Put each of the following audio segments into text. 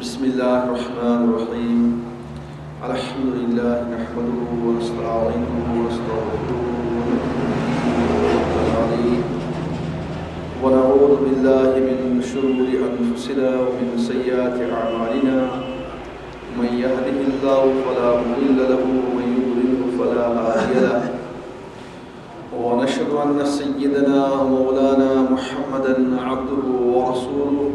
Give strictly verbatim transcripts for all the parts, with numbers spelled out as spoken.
بسم الله الرحمن الرحيم. الحمد لله نحمده ونستعينه ونستغفره ونتوب إليه. ونعوذ بالله من شرور أنفسنا ومن سيئات أعمالنا. من يهده الله فلا مضل له ومن يضلله فلا هادي له. ونشهد أن سيدنا ومولانا محمدا عبده ورسوله.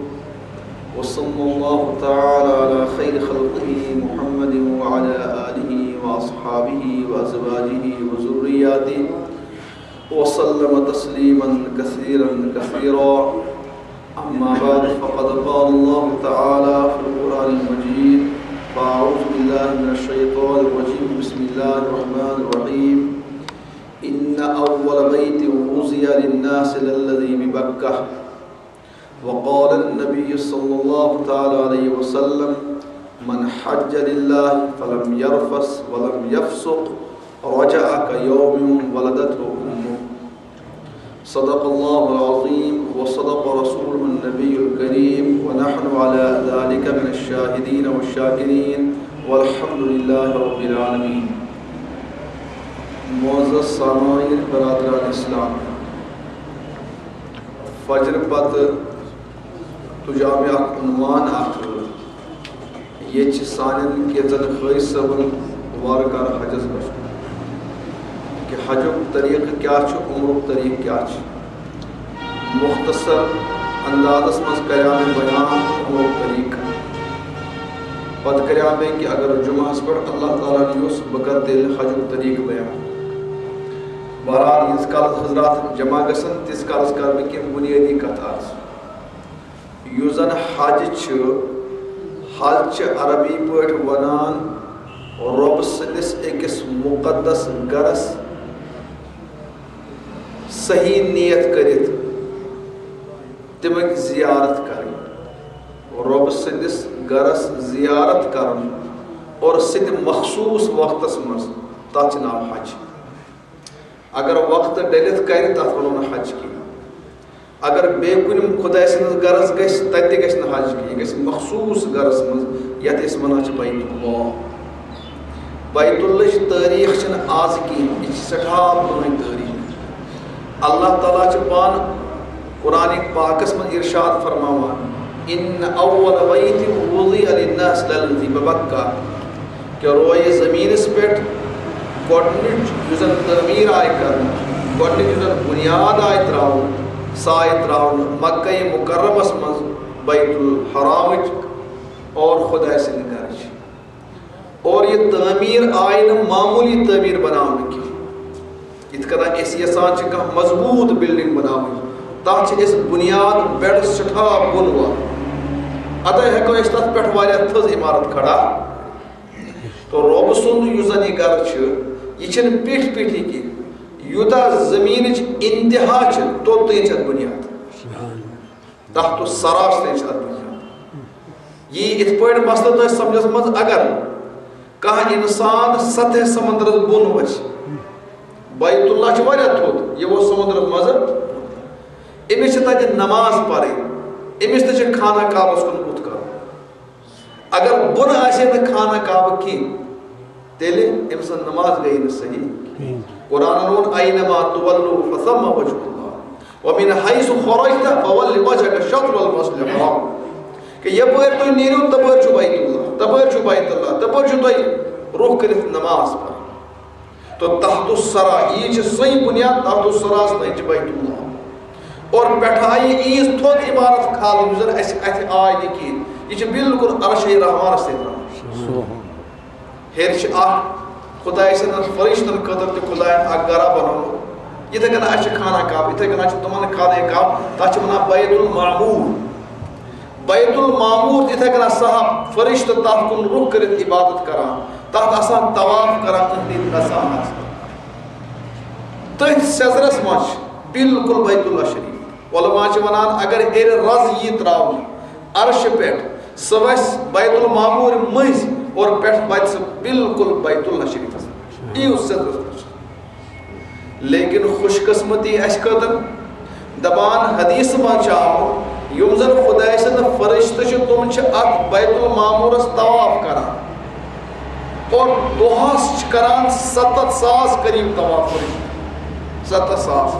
وصلى الله تعالى على خير خلقه محمد وعلى آله وأصحابه وأزواجه وذرياته وسلم تسليما كثيرا كثيرا. أما بعد، فقد قال الله تعالى في القرآن المجيد: فأعوذ بالله من الشيطان الرجيم. بسم الله الرحمن الرحيم. إن أول بيت وضع للناس للذي ببكة. وقال النبي صلى الله تعالى عليه وسلم: من حج لله فلم يرفث ولم يفسق رجع كيوم ولدته أمه. صدق الله العظيم وصدق رسوله النبي الكريم ونحن على ذلك من الشاهدين والشاكرين والحمد لله رب العالمين. معزز سامعین برادران اسلام، فجر پتہٕ تُجاو مےٚ اکھ عنوان اکھ۔ ییٚتہِ چھِ سانٮ۪ن کینٛژن حٲج صٲبن وارٕ کارٕ حجس گژھُن، کہِ حجُک طریٖقہٕ کیٛاہ چھُ، عمرُک طریٖقہٕ کیٛاہ چھُ۔ مختصر اندازس منٛز کریٛاو مےٚ بیان عمرُک طریٖقہٕ۔ پتہٕ کریٛاو مےٚ کہِ اگر جمعہس پٮ۪ٹھ اللہ تعالیٰ ہن یوٚژھ، بہٕ کرٕ تیٚلہِ حجُک طریٖقہٕ بیان۔ بہرحال، ییٖتِس کالس حضرات جمع گژھن، تیٖتِس کالس کرٕ بہٕ کینٛہہ بُنیٲدی کتھٕ عرض۔ یُس زن حج چھُ، حج چھِ عربی پٲٹھۍ ونان رۄب سٕنٛدِس أکِس مُقدس گرس صحیح نیت کٔرِتھ تَمِچ زیارت کرٕنۍ، رۄب سٕنٛدِس گرس زیارت کرُن اور سُہ تہِ مخصوٗص وقتس منٛز، تتھ چھُ ناو حج۔ اگر وقت ڈٔلِتھ کرِ، تتھ ونو نہٕ حج کینٛہہ۔ اگر بیٚیہِ کُنہِ خدایہِ سٕنٛدِس گرس گژھِ، تتہِ تہِ گژھِ نہٕ حج کینٛہہ، یہِ گژھِ مخصوٗص گرس منٛز، یتھ أسۍ ونان چھِ بیت اللہ۔ بیت اللہٕچ تٲریٖخ چھنہٕ آز کینٛہہ، یہِ چھِ سٮ۪ٹھاہ پرٲنۍ تٲریٖخ۔ اللہ تعالیٰ چھُ پانہٕ قرآن پاکس منٛز ارشاد فرماوان، "ان اول بیت وضع للناس للذی ببکہ"، کہ رویہِ زمینس پٮ۪ٹھ گۄڈنِچ یُس زن تعمیٖر آیہِ کرنہٕ، گۄڈنِچ یُس زن بُنیاد آیہِ تراونہٕ، سۄ آیہِ تراونہٕ مکہ مکرمس منٛز بیت الحرامٕچ اور خدایہِ سٕنٛدِ گرٕچ۔ اور یہِ تعمیٖر آیہِ نہٕ معموٗلی تعمیٖر بناونہٕ کینٛہہ۔ یِتھ کٔنۍ أسۍ یژھان چھِ کانٛہہ مضبوٗط building بناوٕنۍ، تَتھ چھِ أسۍ بُنیاد بٮ۪ڈ سٮ۪ٹھاہ بۄن والان۔ اَدٕ ہٮ۪کو أسۍ تَتھ پٮ۪ٹھ واریاہ تھٔز عمارت کھڑا۔ تہٕ رۄب سُنٛد یُس زَن یہِ گرٕ چھُ، یہِ چھِنہٕ پیٖٹھۍ پیٖٹھی کینٛہہ۔ یوٗتاہ زٔمیٖنٕچ اِنتِہا چھِ، توٚتام چھِ اَتھ بُنیاد۔ تحت الثری چھِ اَتھ بُنیاد۔ یی یِتھ پٲٹھۍ مسلہٕ تۄہہِ سمجھس منٛز، اگر کانٛہہ انسان سطح سمندرس بۄن وَسہِ، بیت اللہ چھُ واریاہ تھوٚد، یہِ ووت سمندرس منٛز، أمِس چھِ تَتہِ نماز پَرٕنۍ، أمِس تہِ چھِ خانہ کعبس کُن بُتھ کَرُن۔ اگر بۄن آسہِ ہے نہٕ خانہ کعبہٕ کینٛہہ، تیٚلہِ أمۍ سٕنٛز نماز گٔیے نہٕ صحیح۔ قرآنن ووٚن، "اینما تولوا فثم وجہ اللہ، ومن حیث خرجت فول وجہک شطر المسجد الحرام"۔ کہ یپٲرۍ تُہۍ نیٖرِو، تپٲرۍ چھُ بیت اللہ، تپٲرۍ چھُ بیت اللہ، تپٲرۍ چھُ تۄہہِ رُخ کٔرِتھ نماز پرٕنۍ۔ تو تحت الثری، یہِ چھِ سۄے بُنیاد، تحت الثری تام چھِ بیت اللہ۔ اور پٮ۪ٹھٕ آیہِ ییٖژ تھوٚد عمارت کھالنہٕ، یُس زن اَسہِ اَتھِ آے نہٕ کِہیٖنۍ۔ یہِ چھِ بالکل عرشِ رحمانس سۭتۍ رَلان۔ ہیٚرِ چھِ اکھ خدایہِ سٕنٛدٮ۪ن فرشتن خٲطرٕ تہِ خداین اکھ گرا بنومُت۔ یِتھے کٔنۍ اَسہِ چھِ خانہ کعبہ، یِتھے کٔنۍ چھِ تِمن خانہ کعبہ، تَتھ چھِ وَنان بیت المعمور۔ بیت المعمور تہِ یِتھے کٔنۍ صاحب فرشتہٕ تَتھ کُن رُخ کٔرِتھ عبادت کران، تَتھ آسان طواف کران، تِہنٛدِ گژھان آسان۔ تٔتھۍ سیزرس منٛز چھِ بالکل بیت اللہ شریف۔ علماء چھِ وَنان، اگر ہیٚرِ رز یی تراونہٕ عرشہِ پٮ۪ٹھ، سُہ وَسہِ بیت المعمور مٔنٛزۍ اور پٮ۪ٹھ واتہِ سُہ بالکل بیت اللہ شریفس۔ یی اوس سیزرس منٛز۔ لیکن خوش قسمتی اَسہِ خٲطرٕ، دَپان حدیث منٛز چھُ آمُت، یِم زن خۄداے سٕنٛدۍ فرشتہٕ چھِ، تِم چھِ اتھ بیت المعمورس طواف کران۔ اور دۄہس چھِ کران ستتھ ساس قریب طواف فرشتہٕ۔ ستتھ ساس۔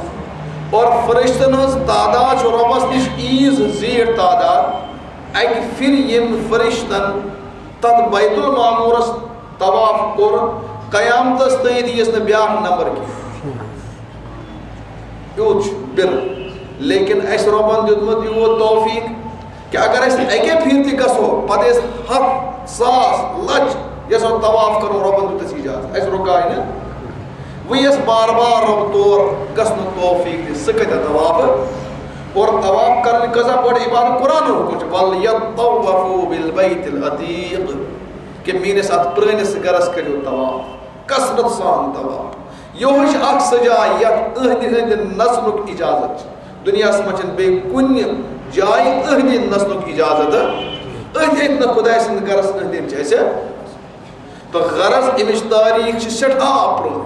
اور فرشتن ہٕنٛز تعداد چھِ رۄبس نِش ییٖژ زیٖٹھ تعداد۔ اکہِ پھرِ ییٚمۍ فرشتن تتھ بیت المعمورس طواف کوٚر، قیامتس تام ییٖژ نہٕ بیٛاکھ نمبر کینٛہہ۔ یوٗت چھُ بِل۔ لیکن اَسہِ رۄبن دیُتمُت یوٗت توفیٖق کہِ اگر أسۍ اَکے پھِرِ تہِ گژھو، پتہٕ ٲسۍ ہَتھ، ساس، لَچھ یَژھو طواف کَرُن، رۄبن دیُت اَسہِ اِجازت، اَسہِ رُکاے نہٕ۔ وۄنۍ یَس بار بار رۄب تور گژھنُک توفیٖق دِ، سُہ کَتہِ طواف؟ اور طواف کَرٕنۍ کۭژاہ بٔڑ عبادت، قرآنُک حُکُم چھُ، "وَلْيَطَّوَّفُوا بِالْبَيْتِ الْعَتِيقِ"، کہِ میٛٲنِس اَتھ پرٛٲنِس گَرَس کٔرِو طواف، کثرت سان طواف۔ یِہوٚے چھِ اکھ سۄ جاے یتھ أہنٛدِ أنٛدۍ نژنُک اجازت چھُ۔ دُنیاہس منٛز چھُنہٕ بیٚیہِ کُنہِ جایہِ أہنٛدِ أنٛدۍ نژنُک اجازت۔ أتھۍ أتھۍ نہٕ خۄداے سٕنٛدِ گرس أنٛدۍ أنٛدۍ چھِ اَسہِ۔ تہٕ غرض، اَمِچ تٲریٖخ چھِ سٮ۪ٹھاہ پرٛٲنۍ۔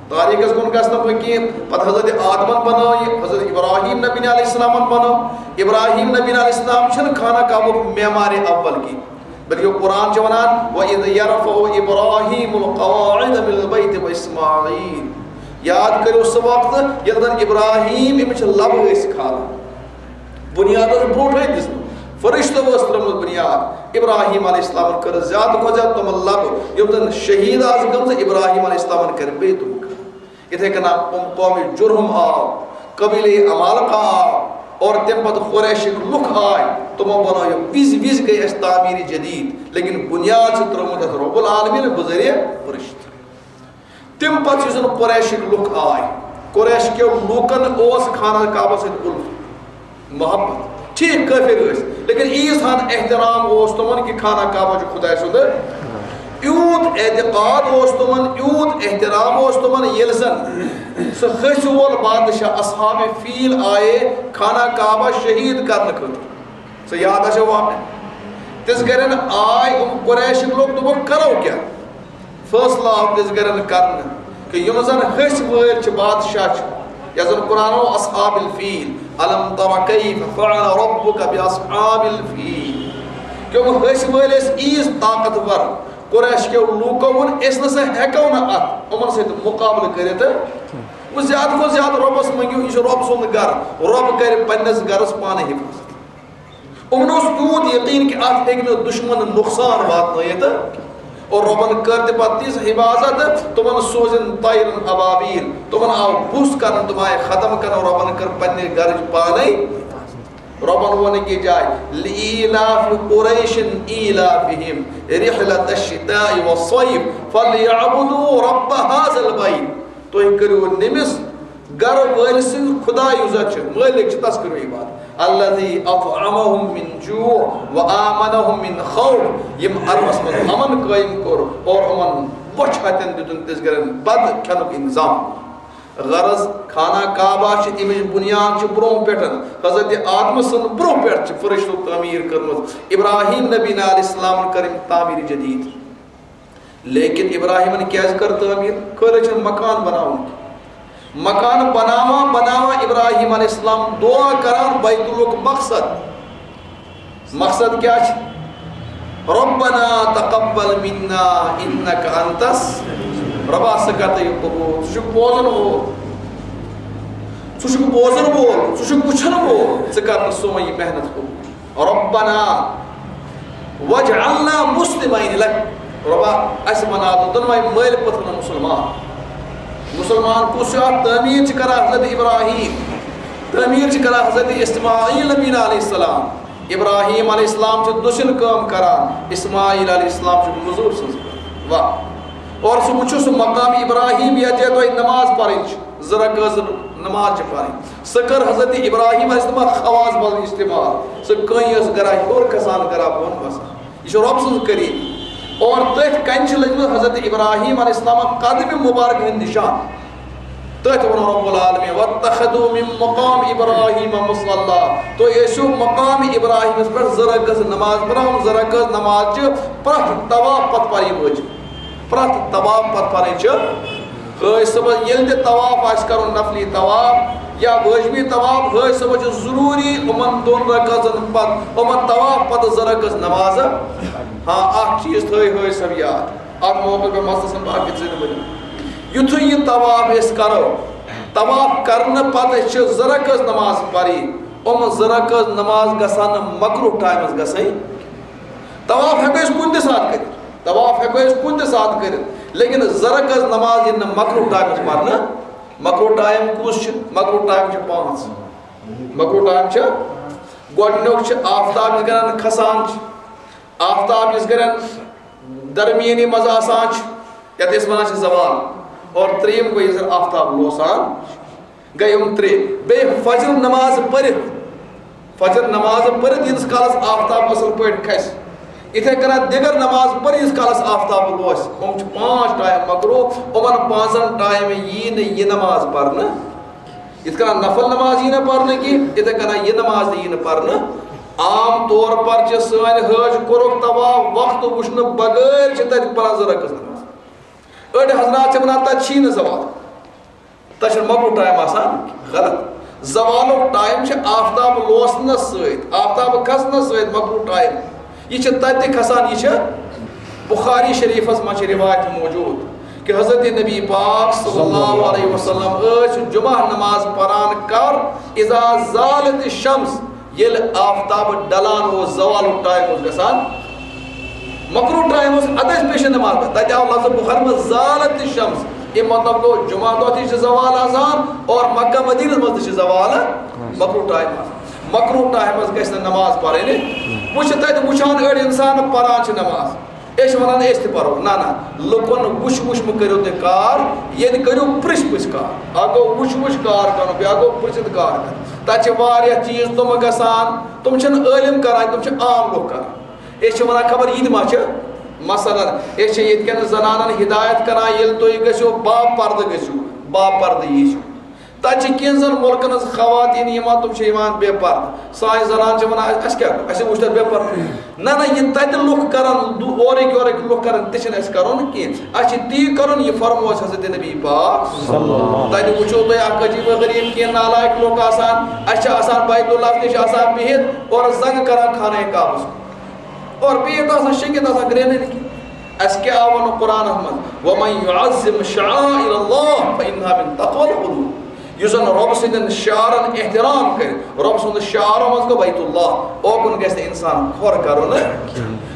تٲریٖخس کُن گژھٕ نہٕ بہٕ کینٛہہ۔ پتہٕ حضرت آدمن بنٲو یہِ، حضرت ابراہیم نبی علیہ السلامن بنٲو۔ ابراہیم نبی علیہ السلام چھِنہٕ خانہ کعبُک معمارِ اول کینٛہہ۔ بلکہ قرآن چھُ وَنان، "وَإِذْ يَرْفَعُ إِبْرَاهِيمُ الْقَوَاعِدَ مِنَ الْبَيْتِ وَإِسْمَاعِيلُ"۔ یاد کٔرِو سُہ وقت ییٚلہِ زَن ابراہیم، أمِس چھِ لَبہٕ ٲسۍ کھالان، بُنیاد ٲس برونٛٹھٕے دِژمٕژ، فرشتو ٲس ترٲومٕژ بُنیاد۔ ابراہیم علیہ السلامن کٔر زیادٕ کھۄتہٕ زیادٕ تِمن لَبہٕ، یِم زَن شہیٖد آسہٕ گٔمژٕ، ابراہیم علیہ السلامن کٔر بیٚیہِ تِم کھڑا۔ یِتھے کٔنۍ قوم جرہم آو، قبیلہ عمالقہ آو، اور تمہِ پتہٕ قریشک لُکھ آے، تِمو بنٲو یہِ۔ وِزِ وِزِ گٔے اَسہِ تعمیٖر جدید، لیکن بُنیاد چھِ ترٲومٕژ اَتھ رب العالمین بذریعہ فرشتہٕ۔ تمہِ پتہٕ یُس زن قریشک لُکھ آے، قریش کیو لوٗکن اوس خانہ کعبس سۭتۍ الفت، محبت۔ ٹھیک، کٲفر ٲسۍ، لیکن عیٖز ہن احترام اوس تِمن کہِ خانہ کعبہ چھُ خداے سُنٛد۔ یوٗت اعتقاد اوس تِمن، یوٗت احترام اوس تِمن، ییٚلہِ زن سُہ ۂسۍ وول بادشاہ اصحاب فیل آیے خانہ کعبہ شہید کرنہٕ خٲطرٕ۔ سُہ یاد آسیو واقعہ۔ تِژھ گرٮ۪ن آے یِم قریشٕکۍ لُکھ، دوٚپُکھ، کرو کیٛاہ؟ فٲصلہٕ آو تِژھ گرٮ۪ن کرنہٕ کہِ یِم زن ۂسۍ وٲلۍ چھِ، بادشاہ چھِ، یَتھ زن قرآن ووٚن اصحاب الفیل، الم تر کیف فعل ربک باصحاب الفیل۔ کہِ یِم ۂسۍ وٲلۍ ٲسۍ عیٖز طاقتور، قریش کیو لوٗکو ووٚن، أسۍ نہ سا ہٮ۪کو نہٕ اتھ، یِمن سۭتۍ مُقابلہٕ کٔرِتھ۔ وۄنۍ زیادٕ کھۄتہٕ زیادٕ رۄبس منٛگِو، یہِ چھُ رۄب سُنٛد گرٕ، رۄب کرِ پننِس گرس پانے حفاظت۔ یِمن اوس تیوٗت یقین کہِ اتھ ہیٚکہِ نہٕ دُشمن نۄقصان واتنٲیِتھ۔ اور رۄبن کٔر تہِ پتہٕ تِژھ حفاظت، تِمن سوٗزِن طیرن ابابیل، تِمن آو بُس کرنہٕ، تِم آیہِ ختم کرنہٕ، رۄبن کٔر پننہِ گرٕچ پانے۔ رۄبن ووٚن أکِس جایہِ، "لإيلاف قريش إيلافهم رحلة الشتاء والصيف فليعبدوا رب هذا البيت"۔ تُہۍ کٔرِو نٔمِس گرٕ وٲلۍ سٕنٛدۍ خدا، یُس زن چھُ مٲلِک چھُ، تس کٔرِو عبادت۔ الذي أطعمهم من جوع وآمنهم من خوف، یِم عربس منٛز امن قٲیِم کوٚر اور یِمن بۄچھِ ہتٮ۪ن دیُتُن تِژھ گرٮ۪ن بتہٕ کھٮ۪نُک انتظام۔ غرض، خانہ کعبہ چھِ، اَمِچ بُنیاد چھِ برونٛہہ پٮ۪ٹھ، حضرت آدمہٕ سٕنٛدِ برونٛہہ پٮ۪ٹھ چھِ فرشتو تعمیٖر کٔرمٕژ۔ ابراہیم نبی علیہ السلامن کٔر أمۍ تعمیٖر جدید۔ لیکن ابراہیمن کیٛازِ کٔر تعمیٖر؟ خٲلی چھُنہٕ مکان بناوُن کینٛہہ۔ مکان بناوان بناوان ابراہیم علیہ السلام دعا کران بیت اللُک مقصد۔ مقصد کیٛاہ چھُ؟ "ربنا تقبل منا انك انت الس-"، رۄبا، ژٕ کر تہٕ یہِ قبوٗل، ژٕ چھُکھ بوزن وول، ژٕ چھُکھ بوزن وول، ژٕ چھُکھ وٕچھن وول، ژٕ کر تہٕ سون یہِ محنت قبوٗل۔ ربنا واجعلنا مسلمین لک، رۄبا، اَسہِ بناو تہٕ دۄنوَے مٲلۍ پٲٹھۍ مُسلمان۔ مُسلمان کُس چھُ؟ اَتھ تعمیٖر چھِ کران حضرت ابراہیم، تعمیٖر چھِ کران حضرت اسماعیل نبی علیہ السلام۔ ابراہیم علیہ السلام چھُ دٔچھِنۍ کٲم کران، اسماعیل علیہ السلام چھُ مٔزوٗر سٕنٛز کٲم۔ واہ۔ اور سُہ وٕچھِو سُہ مقام ابراہیم، یَتھ جایہِ تۄہہِ نماز پرٕنۍ چھِ، زٕ رکعت نماز چھِ پرٕنۍ۔ سۄ کٔر حضرت ابراہیم علیہ السلام خواص بل استعمال۔ سۄ کٔنۍ ٲس گرا ہیوٚر کھسان، گرا بۄن وسان۔ یہِ چھُ رۄب سٕنٛز قریٖبی۔ اور تٔتھۍ کنہِ چھِ لٔجمٕژ حضرت ابراہیم علیہ السلام قدمِ مبارک ہٕنٛدۍ نِشان۔ تٔتھۍ ووٚن رب العالمین، "واتخذوا من مقام ابراہیم مصلی"۔ تُہۍ ٲسِو مقام ابراہیمس پٮ۪ٹھ زٕ رکعت نماز پران، زٕ رکعت نماز چھِ پرٛٮ۪تھ طواف پتہٕ پرٕنۍ وٲجِب۔ پرٛٮ۪تھ طواف پتہٕ پرٕنۍ چھِ۔ خٲج صٲبَس ییٚلہِ تہِ طواف آسہِ کرُن، نفلی طواف، یا واجبی طواف، حٲج صٲبَس چھُ ضروٗری یِمَن دۄن رکعژَن پَتہٕ، یِمَن طواف پَتہٕ زٕ رکعژ نمازٕ۔ ہاں، اَکھ چیٖز تھٲے حٲج صٲب یاد، اَتھ موقعہٕ پٮ۪ٹھ مَسلَس منٛز باقٕے زِندٕ بٔنِو۔ یُتھُے یہِ طواف أسۍ کَرو، طواف کَرنہٕ پَتہٕ چھِ زٕ رکعژ نماز پَرٕنۍ۔ یِم زٕ رکعژ نماز گژھن نہٕ مکروہ ٹایمَس گژھٕنۍ۔ طواف ہٮ۪کو أسۍ کُنہِ تہِ ساتہٕ کٔرِتھ، طواف ہٮ۪کو أسۍ کُنہِ تہِ ساتہٕ کٔرِتھ، لیکن زٕ رکعژ نماز یِن نہٕ مکروہ ٹایمَس پَرنہٕ۔ مکروہ ٹایم کُس چھُ؟ مکروہ ٹایم چھِ پانٛژھ۔ مکروہ ٹایم چھِ، گۄڈٕنیُک چھُ آفتاب یُس گرن کھسان چھُ، آفتاب یُس گرن درمیٲنی منٛز آسان چھُ، یَتھ أسۍ وَنان چھِ زوال، اور ترٛیٚیِم گوٚو یُس زَن آفتاب لوسان چھُ۔ گٔے یِم ترٛےٚ۔ بیٚیہِ فجر نماز پٔرِتھ، فجر نماز پٔرِتھ ییٖتِس کالَس آفتاب اَصٕل پٲٹھۍ کھسہِ۔ یِتھَے کٔنۍ دیگر نماز پٔرِتھ ییٖتِس کالَس آفتاب لوسہِ۔ یِم چھِ پانٛژھ ٹایم مکروہ، یِمَن پانٛژَن ٹایمَن یی نہٕ یہِ نماز پَرنہٕ۔ یِتھ کٔنۍ نفل نماز یی نہٕ پَرنہٕ کینٛہہ، یِتھَے کٔنۍ یہِ نماز تہِ یی نہٕ پَرنہٕ۔ عام طور پر چھِ سٲنۍ حٲج کوٚرُکھ طواف وقت وٕچھنہٕ بغٲر چھِ تَتہِ پَران زٕ رکعت نماز۔ أڑۍ حضرات چھِ وَنان تَتہِ چھی نہٕ زوال۔ تَتہِ چھُنہٕ مکروہ ٹایم آسان، غلط۔ زوالُک ٹایم چھُ آفتاب لوسنَس سۭتۍ، آفتاب کھسنَس سۭتۍ مکروہ ٹایم۔ یہِ چھُ تَتہِ تہِ کھسان، یہِ چھُ بخاری شریفَس منٛز چھِ روایت موجود کہ حضرت نبی پاک صلی اللہ علیہ وسلم ٲسۍ جمعہ نماز پران کر اذا زالت الشمس، ییٚلہِ آفتاب ڈلان اوس، زوالُک ٹایم اوس گژھان، مکروہ ٹایم اوس، ادٕ ٲسۍ پیشن نماز پران۔ تتہِ آو لفظ بخاری منٛز زالت الشمس، اَمیُک مطلب گوٚو جمعہ دۄہ تہِ چھِ زوال آسان اور مکہ مدینس منٛز تہِ چھِ زوال مکروہ ٹایم آسان۔ مکروہ ٹایمس گژھِ نہٕ نماز پرٕنۍ۔ وۄنۍ چھِ تتہِ وٕچھان أڑۍ انسان پران چھِ نماز، أسۍ چھِ ونان أسۍ تہِ پرو۔ نہ نہ، لُکن وٕچھ وٕچھ مہٕ کٔرِو تُہۍ کار، ییٚتہِ کٔرِو پرژھ پرژھ کار۔ اکھ گوٚو وٕچھ وٕچھ کار کرُن، بیٛاکھ گوٚو پرژھِتھ کار کرُن۔ تتہِ چھِ واریاہ چیٖز تِم گژھان، تِم چھِنہٕ عٲلم کران، تِم چھِ عام لُکھ کران۔ أسۍ چھِ ونان خبر یہِ تہِ ما چھِ۔ مثلاً، أسۍ چھِ ییٚتہِ کٮ۪ن زنانن ہدایت کران، ییٚلہِ تُہۍ گٔژھِو با پردٕ گٔژھِو، با پردٕ یی چھُ۔ تَتہِ چھِ کینٛژَن مُلکَن ہٕنٛز خواتیٖن یِوان، تِم چھِ یِوان بے پردٕ۔ سانہِ زنان چھِ وَنان، "اَسہِ، اَسہِ کیٛاہ، اَسہِ وٕچھ تَتہِ بے پردٕ۔" نہ، نہ، یہِ تَتہِ لُکھ کَرَن، دُ-، اورٕکۍ یورٕکۍ لُکھ کَرَن، تہِ چھِنہٕ اَسہِ کَرُن کینٛہہ۔ اَسہِ چھِ تی کَرُن، یہِ فرموو اَسہِ حضرت نبی پاک۔ صلی اللہ۔ تَتہِ وٕچھو تُہۍ اَکھ عجیٖب و غریٖب کینٛہہ نالایق لُکھ آسان، اَسہِ چھِ آسان بیت اللہ نِش آسان بِہِتھ اور زنٛگہٕ کَران خانہ کعبَس کُن۔ اور بِہِتھ آسان، شیٚنگِتھ آسان، گرٛینہٕ نہٕ کینٛہہ۔ اَسہِ کیٛاہ آو وَنُن قرآنَس منٛز؟ "وَمَن يُعَظِّمْ شَعَائِرَ اللَّهِ فَإِنَّهَا مِن تَقْوَى الْقُلُوبِ"۔ یُس زَن رۄب سٕنٛدٮ۪ن شعارَن احترام کَرِ، رۄب سُنٛد شعارو منٛز گوٚو بیت اللہ، اوکُن گژھِ نہٕ اِنسان کھۄر کَرُن۔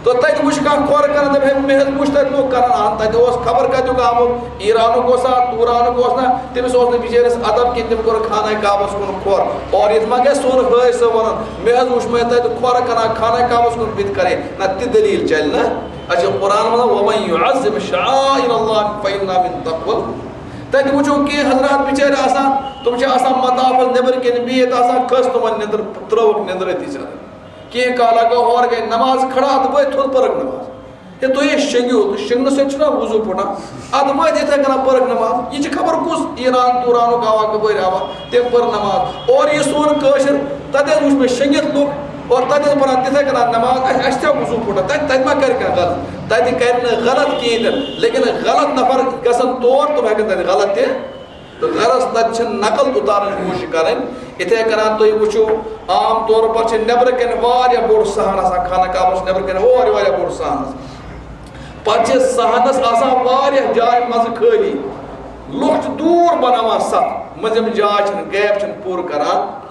تہٕ تَتہِ وٕچھ کانٛہہ کھۄر کَران، دَپہِ، "ہے، مےٚ حظ وٕچھ تَتہِ لُکھ کَران"، اَہَن، تَتہِ اوس خبر کَتیُک آمُت، ایرانُک اوسا، توٗرانُک اوس نا، تٔمِس اوس نہٕ بِچٲرِس ادب کینٛہہ، تٔمۍ کوٚر خانہ کعبَس کُن کھۄر۔ اور یِتھ ما گژھِ سون حٲج صٲب وَنُن، "مےٚ حظ وٕچھ مےٚ تَتہِ کھۄر کَران خانہ کعبَس کُن، بہٕ تہِ کَرے"۔ نہ، تہِ دٔلیٖل چَلہِ نہٕ۔ اَسہِ چھُ قرآن وَنان، "وَمَن يُعَظِّمْ شَعَائِرَ اللَّهِ فَإِنَّهَا مِن تَقْوَى الْقُلُوبِ"۔ تَتہِ وٕچھو کینٛہہ حضرات بِچٲرۍ آسان، تِم چھِ آسان مطافَس نٮ۪بٕرۍ کِنۍ بِہِتھ آسان، کھٔژ تِمَن نٮ۪نٛدٕر، ترٛٲوٕکھ نٮ۪نٛدٕر أتی ژَلان۔ کینٛہہ کالا گوٚو، ہورٕ گٔے نماز کھڑا، اَدٕ وٲتۍ تھوٚد پٔرٕکھ نماز۔ ہے، تُہۍ ہے شیٚنگِو، تہٕ شیٚنگنہٕ سۭتۍ چھُنہ وضوٗ پھُٹان؟ اَدٕ وٲتۍ یِتھَے کٔنۍ پٔرٕکھ نماز۔ یہِ چھِ خبر کُس ایران توٗرانُک آوا، کَپٲرۍ آوا، تٔمۍ پٔر نماز۔ اورٕ یہِ سون کٲشِر، تَتہِ حظ وٕچھ مےٚ شیٚنگِتھ لُکھ، اور تَتہِ حظ پَران تِتھَے کٔنۍ نماز، اَسہِ، اَسہِ چھا وضوٗ پھُٹان؟ تَتہِ، تَتہِ ما کَرِ کانٛہہ غلط؟ تَتہِ کَرِ نہٕ غلط کِہیٖنۍ تہِ نہٕ، لیکِن غلط نفر گژھن تور، تِم ہٮ۪کَن تَتہِ غلط تہِ۔ تہٕ غرض تَتہِ چھِ نقل اُتارنٕچ کوٗشِش کَرٕنۍ۔ یِتھَے کٔنۍ تُہۍ وٕچھِو، عام طور پر چھِ نٮ۪برٕ کَنہِ واریاہ بوٚڑ صحن آسان، خانہ کعبَس نٮ۪برٕ کَنہِ واریاہ، واریاہ بوٚڑ صحن آسان۔ پَتہٕ چھِ صحنَس آسان واریاہ جایہِ منٛزٕ خٲلی۔ لُکھ چھِ دوٗر بَناوان صف، مٔنٛزِم جاے چھِنہٕ، gap چھِنہٕ پوٗرٕ کَران۔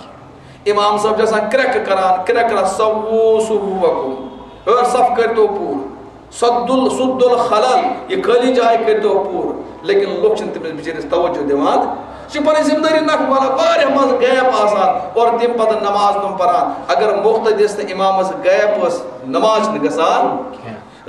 اِمام صٲب چھِ آسان کرٛٮ۪کہٕ کَران، کرٛٮ۪کہٕ کَران، "سَوُّوا صُفوٗفَکُم"، ہٲر صف کٔرۍتو پوٗرٕ۔ سد ال-، سد الخلل، یہِ خٲلی جاے کٔرۍتو پوٗرٕ۔ لیکن لُکھ چھِنہٕ تٔمِس بِچٲرِس توجہ دِوان۔ یہِ چھِ پَنٕنۍ ذمہٕ دٲری نَکھٕ والان، واریاہ منٛز gap آسان، اور تَمہِ پَتہٕ نماز تِم پَران۔ اگر مُقتدِیَس تہٕ اِمامَس gap ٲس، نماز چھِنہٕ گژھان۔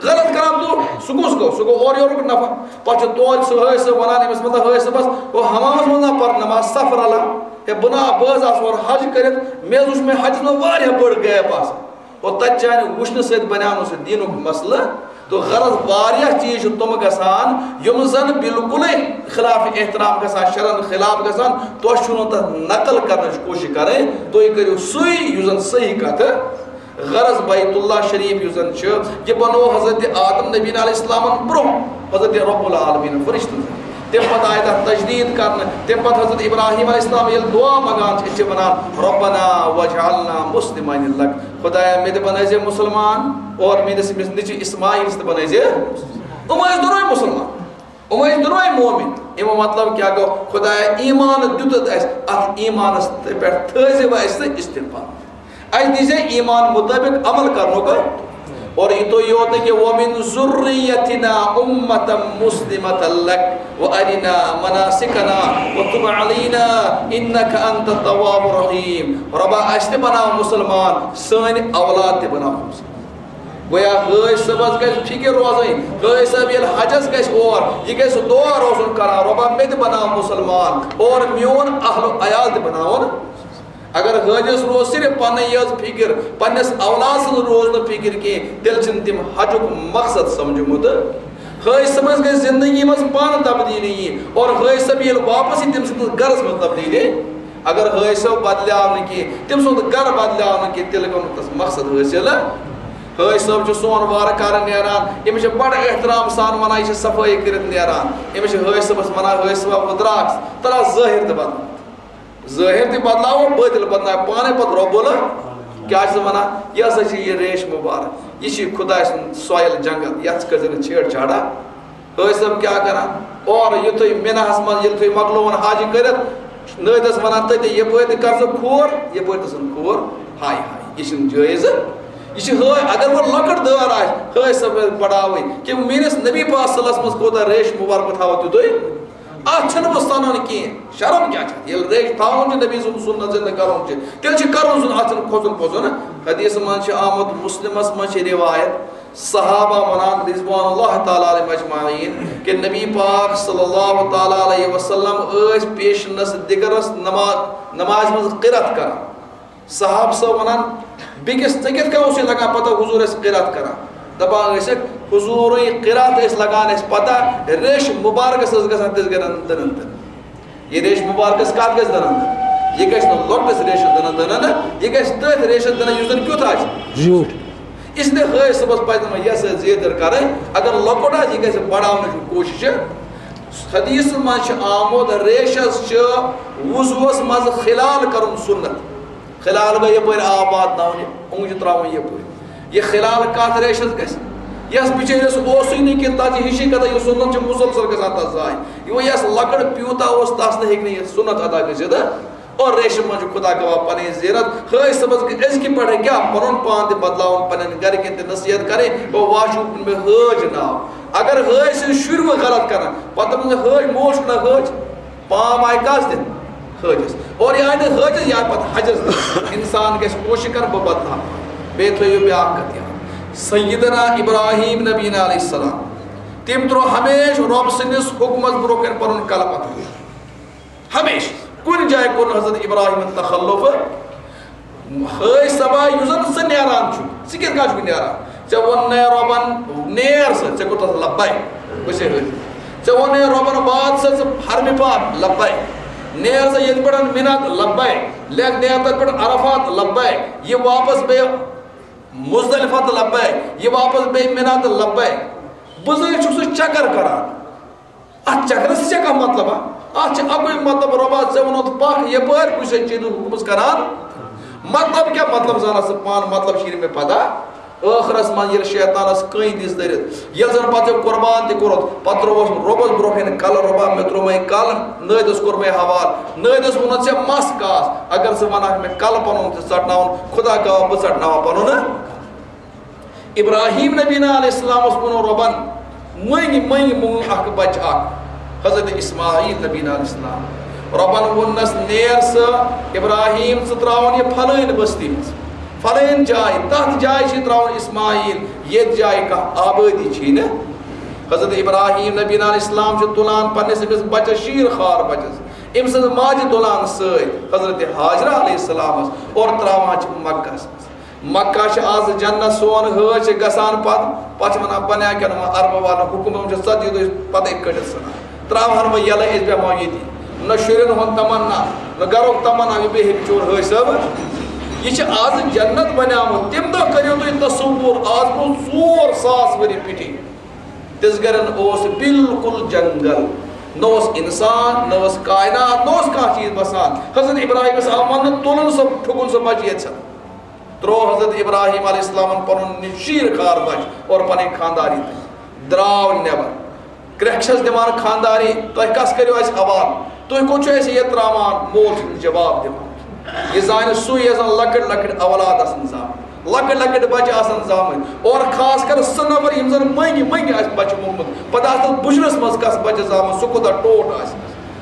غلط کران تو، سُہ کُس گوٚو؟ سُہ گوٚو اورٕ یورُک نفر۔ پَتہٕ چھُ توتہِ سُہ حٲج صٲب وَنان أمِس، مطلب، حٲج صٲبَس، "او، حمامَس منٛز نا پَر نماز، صف رَلان۔ ہے، بہٕ نا، بہٕ حظ آسہٕ اورٕ حج کٔرِتھ، مےٚ حظ وٕچھ مےٚ حجَس منٛز واریاہ بٔڑ gap آسان۔" اور تَتہِ چانہِ وٕچھنہٕ سۭتۍ بنیٛاو نہٕ سُہ دیٖنُک مسلہٕ۔ تو غرض، واریاہ چیٖز چھِ تِم گژھان، یِم زَن بالکلٕے خلاف احترام گژھان، شرعن خلاف گژھان۔ تۄہہِ چھُو نہٕ تَتھ نقل کرنٕچ کوٗشِش کَرٕنۍ، تُہۍ کٔرِو سُے یُس زَن صحیح کَتھٕ۔ غرض، بیت اللہ شریف یُس زَن چھُ، یہِ بنوو حضرت آدم نبی علیہ السلامَن برٛونٛہہ حضرت رب العالمین فرشتن۔ تَمہِ پَتہٕ آیہِ تَتھ تجدیٖد کرنہٕ۔ تَمہِ پَتہٕ حضرت ابراہیم علیہ السلام ییٚلہِ دعا منٛگان چھِ، أسۍ چھِ وَنان، "ربنا واجعلنا مسلمین لک"، خدایا، مےٚ تہِ بَنٲیزِ مُسلمان اور میٲنِس أمِس نیٚچوِس اسماعیلَس تہِ بَنٲیزِ۔ یِم ٲسۍ دۄنوَے مُسلمان، یِم ٲسۍ دۄنوَے مومِن۔ اَمیُک مطلب کیٛاہ گوٚو؟ خدایا، ایمان دیُتُتھ اَسہِ، اَتھ ایمانَس پٮ۪ٹھ تھٲیزِ وۄنۍ اَسہِ تہٕ استقامت۔ اَسہِ دیٖزِ ایمان مُطٲبِق عمل کرنُک۔ اور یہِ تو یوت نہٕ کینٛہہ، "وَمِن ذُرِّيَّتِنَا أُمَّةً مُسْلِمَةً لَكَ وَأَرِنَا مَنَاسِكَنَا وَتُبْ عَلَيْنَا إِنَّكَ أَنْتَ التَّوَّابُ الرَّحِيمُ"۔ رۄبا، اَسہِ تہِ بناو مُسلمان، سٲنۍ اولاد تہِ بناو مُسلمان۔ گویا حٲج صٲبَس گژھِ فِکر روزٕنۍ، حٲج صٲب ییٚلہِ حجَس گژھِ اور، یہِ گژھِ دعا روزُن کران، "رۄبا، مےٚ تہِ بناو مُسلمان اور میون اہل و عیال تہِ بناوُن"۔ اگر حٲجِس روز صرف پنٕنۍ یٲژ فِکر، پننِس اولاد سٕنٛز روز نہٕ فِکر کینٛہہ، تیٚلہِ چھِنہٕ تِم حجُک مقصد سمجھمُت۔ حٲج صٲبَس گژھِ زندگی منٛز پانہٕ تبدیٖلی یی، اور حٲج صٲب ییٚلہِ واپس یی، تٔمۍ سٕنٛدِس گرس منٛز تبدیٖلی۔ اگر حٲج صٲب بدلیٛاو نہٕ کینٛہہ، تٔمۍ سُنٛد گرٕ بدلیٛاو نہٕ کینٛہہ، تیٚلہِ گوٚو نہٕ تَس مقصد حٲصِل۔ حٲج صٲب چھُ سون وارٕ کارٕ نیران، أمِس چھِ بڑٕ احترام سان ونان، یہِ چھِ صفٲیی کٔرِتھ نیران۔ أمِس چھِ حٲج صٲبَس ونان، "حٲج صٲبا، وۄنۍ درٛاکھ ژٕ، تَلہٕ حظ ظٲہِر تہِ بدل۔" ظٲہِر تہِ بدلاوو، بٲطِل بدلاوو، پانے پتہٕ رۄب بولو۔ کیٛاہ چھِ ونان؟ یہِ ہسا چھِ یہِ ریش مُبارک، یہِ چھِ خداے سُنٛد سۄیل جنگل، یتھ کٔرۍ زِ نہٕ چھیڑ چھاڑا۔ حٲج صٲب کیٛاہ کران؟ اورٕ یُتھُے مِناہس منٛز ییٚلہِ تُہۍ مۄکلووُن حج کٔرِتھ، نٲدِس ونان تٔتی، یپٲرۍ تہِ کر ژٕ کھور، یپٲرۍ تہِ ژھٕن کھور، ہاے ہاے، یہِ چھُنہٕ جٲیز۔ یہِ چھِ حٲج، اگر وۄنۍ لۄکٕٹ دٲر آسہِ، حٲج صٲب گژھِ بڑاوٕنۍ کہِ میٲنِس نبی پاک صلی اللہ علیہ وسلمس کوٗتاہ ریش مُبارک تھاوو تیُتُے۔ اتھ چھُنہٕ وۄنۍ سنُن کینٛہہ۔ شرم کیٛاہ چھُ اتھ؟ ییٚلہِ ریش تھاوُن چھُ، نبی سُنٛد سُنت زِندٕ کرُن چھُ، تیٚلہِ چھُ کرُن سُنٛد، اتھ چھُنہٕ کھوژُن پھوژُن۔ حدیث منٛز چھِ آمُت، مسلمس منٛز چھِ روایت، صحابہ ونان رضوان اللہ تعالیٰ علیہم اجمعین کہِ نبی پاک صلی اللہ تعالیٰ علیہ وسلم ٲسۍ پیشنس دِگرس نماز، نمازِ منٛز قرت کران۔ صحابہٕ صٲب ونان، "بیٚکِس ژےٚ کِتھ کٔنۍ اوسُے لگان پتہ حضور ٲسۍ قرات کران؟" دپان ٲسِکھ، حضورٕے قرات ٲسۍ لگان اَسہِ پتہ، ریش مُبارکس ٲس گژھان تِژھ گرن دٕنن دٕنن۔ یہِ ریش مُبارکس کتھ گژھِ دٕنن دٕنن؟ یہِ گژھِ نہٕ لۄکٹِس ریشس دٕنن دٕنن، یہِ گژھِ تٔتھۍ ریشس دٕنن یُس زن کیُتھ آسہِ۔ زیوٗٹھ۔ اس لیے حٲج صٲبس پزِ نہٕ وۄنۍ یہِ ہسا زیٖر کر کرٕنۍ، اگر لۄکُٹ آسہِ، یہِ گژھِ بڑاونٕچ کوٗشش۔ حدیثن منٛز چھِ آمُت، ریشس چھِ وضوٗہس منٛز خلال کرُن سُنت۔ خلال گوٚو یپٲرۍ آب واتناوُن، یہِ اونٛگجہِ ترٛاوُن یپٲرۍ۔ یہِ خلال کتھ ریشس گژھِ؟ یس بِچٲرِس اوسُے نہٕ کینٛہہ، تتھ چھِ ہِشی کتھا، یہِ سُنت چھِ مُسلسل گژھان تتھ ضایع۔ یہِ وۄنۍ یس لۄکٕٹ پیوٗنتاہ اوس، تس نہٕ ہیٚکہِ نہٕ یہِ سُنت ادا گٔژھِتھ۔ اور ریشہِ منٛز چھُ خدا گواہ پنٕنۍ زیٖرت۔ حٲج صٲبس گٔے أزکہِ پٮ۪ٹھٕ کیٛاہ پنُن پان تہِ بدلاوُن، پنٕنٮ۪ن گرِکٮ۪ن تہِ نصیحت کرٕنۍ، بہٕ واچھو مےٚ حٲج ناو۔ اگر حٲج سٕنٛدۍ شُرۍ وۄنۍ غلط کرن، پتہٕ دپن زِ حٲج موج چھُنہ حٲج۔ پام آیہِ کس دِنہٕ؟ حٲجِس۔ اور یہِ آیہِ نہٕ حٲجِس، یہِ آیہِ پتہٕ حجس دِنہٕ۔ انسان گژھِ کوٗشِش کرُن، بہٕ بدلاو۔ بیٚیہِ تھٲیِو بیٛاکھ کتھ یاد۔ سیدنا ابراہیم نبینا علیہ السلام، تٔمۍ ترٛوو ہمیشہِ رۄب سٕنٛدِس حُکمس برٛونٛہہ کنہِ پنُن کلہٕ پتھر۔ ہمیشہِ۔ کُنہِ جایہِ کوٚر نہٕ حضرت ابراہیمن تخلف۔ حٲج صٲبا، یُس زن ژٕ نیران چھُکھ، ژٕ کِتھ کٔنۍ چھُکھ نیران؟ ژےٚ ووٚن نے رۄبن، "نیر سا"، ژےٚ کوٚر تتھ لبیک۔ بہٕ چھُسے حٲج۔ ژےٚ ووٚن نے رۄبن، "وات سا ژٕ حرمہِ پاک"، لبیک۔ نیر سا ییٚتہِ پٮ۪ٹھ مِنہ، لبیک۔ لیکھ نیر تتہِ پٮ۪ٹھ عرفات، لبیک۔ یہِ واپس بیٚیہِ مزدلفہ تہٕ لبیک۔ یہِ واپس بیٚیہِ مِنہ تہٕ لبیک۔ بہٕ زٲنۍ چھُکھ سُہ چکر کران۔ اتھ چکرس چھا کانٛہہ مطلب؟ ہا، اتھ چھُ اکُے مطلب، رۄبا، ژےٚ ووٚنُتھ پکھ یپٲرۍ، بہٕ چھُسے چیٖزُک حُکمس کران۔ مطلب کیٛاہ؟ مطلب زانس ژٕ پانہٕ، مطلب چھُے نہٕ مےٚ پتہ۔ ٲخرس منٛز ییٚلہِ شیطانس کٔنۍ دِژ دٔرِتھ، ییٚلہِ زن پتہٕ أمۍ قربان تہِ کوٚرُتھ، پتہٕ ترٛووس رۄبس برونٛہہ کنہِ کلہٕ، "رۄبا، مےٚ ترٛوو مےٚ کلہٕ، نٲدِس کوٚر مےٚ حوالہٕ، نٲدِس ووٚنُتھ ژےٚ مس کاس، اگر ژٕ ونکھ مےٚ کلہٕ پنُن تہِ ژٹناوُن، خدا گواہ بہٕ ژٹناوہا پنُن نہٕ۔" ابراہیم نبینا علیہ السلامس ووٚن رۄبن، "مٔنگۍ، مٔنگۍ، مونگ اکھ بچہٕ اکھ، حضرت اسماعیل نبینا علیہ السلام۔" رۄبن ووٚننس، "نیر سا ابراہیم، ژٕ ترٛاوُن یہِ فلٲنۍ بستی منٛز، فلٲنۍ جایہِ، تتھ جایہِ چھِ ترٛاوُن اسماعیل، ییٚتہِ جایہِ کانٛہہ آبٲدی چھِ نہٕ۔" حضرت ابراہیم نبینا علیہ السلام چھُ تُلان پننِس أمِس بچس، شیٖر خوار بچس، أمۍ سٕنٛز ماجہِ تُلان سۭتۍ حضرت حاجرہ علیہ السلامس اور ترٛاوان چھِ مکس منٛز۔ مکہ چھِ آز جنت، سون حٲج چھِ گژھان پتہٕ، پتہٕ چھِ ونان، "بنیا کیٛاہ نہٕ وۄنۍ عربہٕ والٮ۪ن حُکم، یِم چھِ ژتجی دۄہہِ پتَے کٔڑِتھ ژھٕنان۔ ترٛاو ہن وۄنۍ یَلَے، أسۍ بیٚہمو ییٚتی۔ نہ شُرٮ۪ن ہُنٛد تمنا، نہ گرُک تمنا، یہِ بیٚہہِ ہیٚکہِ چون حٲج صٲب۔" یہِ چھِ آز جنت بنیٛامُت۔ تَمہِ دۄہ کٔرِو تُہۍ تصوُر، آز برٛونٛہہ ژور ساس ؤری پٮ۪ٹھٕے۔ تِژھ گرٮ۪ن اوس بالکل جنگل۔ نہ اوس انسان، نہ اوس کائنات، نہ اوس کانٛہہ چیز بسان۔ حضرت ابراہیمس آو وننہٕ، تُلُن سا، پھُکُن سا بچہِ ییٚتہِ سا۔ ترٛوو حضرت ابراہیم علیہ السلامن پنُن شیٖر خار بچہِ اور پنٕنۍ خانداری تہِ۔ درٛاو نٮ۪بر۔ کرٛٮ۪کھ چھس دِوان خانداری، "تۄہہِ کس کٔرِو اسہِ حوالہٕ؟ تُہۍ کوٚت چھِو اسہِ ییٚتہِ ترٛاوان؟" مول چھُنہٕ جواب دِوان۔ یہِ زانہِ سُے، یَس زَن لۄکٕٹۍ لۄکٕٹۍ اولاد آسَن زامٕتۍ، لۄکٕٹۍ لۄکٕٹۍ بَچہِ آسَن زامٕتۍ، اور خاص کر سُہ نفر یِم زَن مٔنٛگۍ مٔنٛگۍ آسہِ بَچہِ موٚنگمُت، پَتہٕ آسہِ تَتھ بُجرَس منٛز کَس بَچہِ زامُت، سُہ کوٗتاہ ٹوٹھ آسہِ۔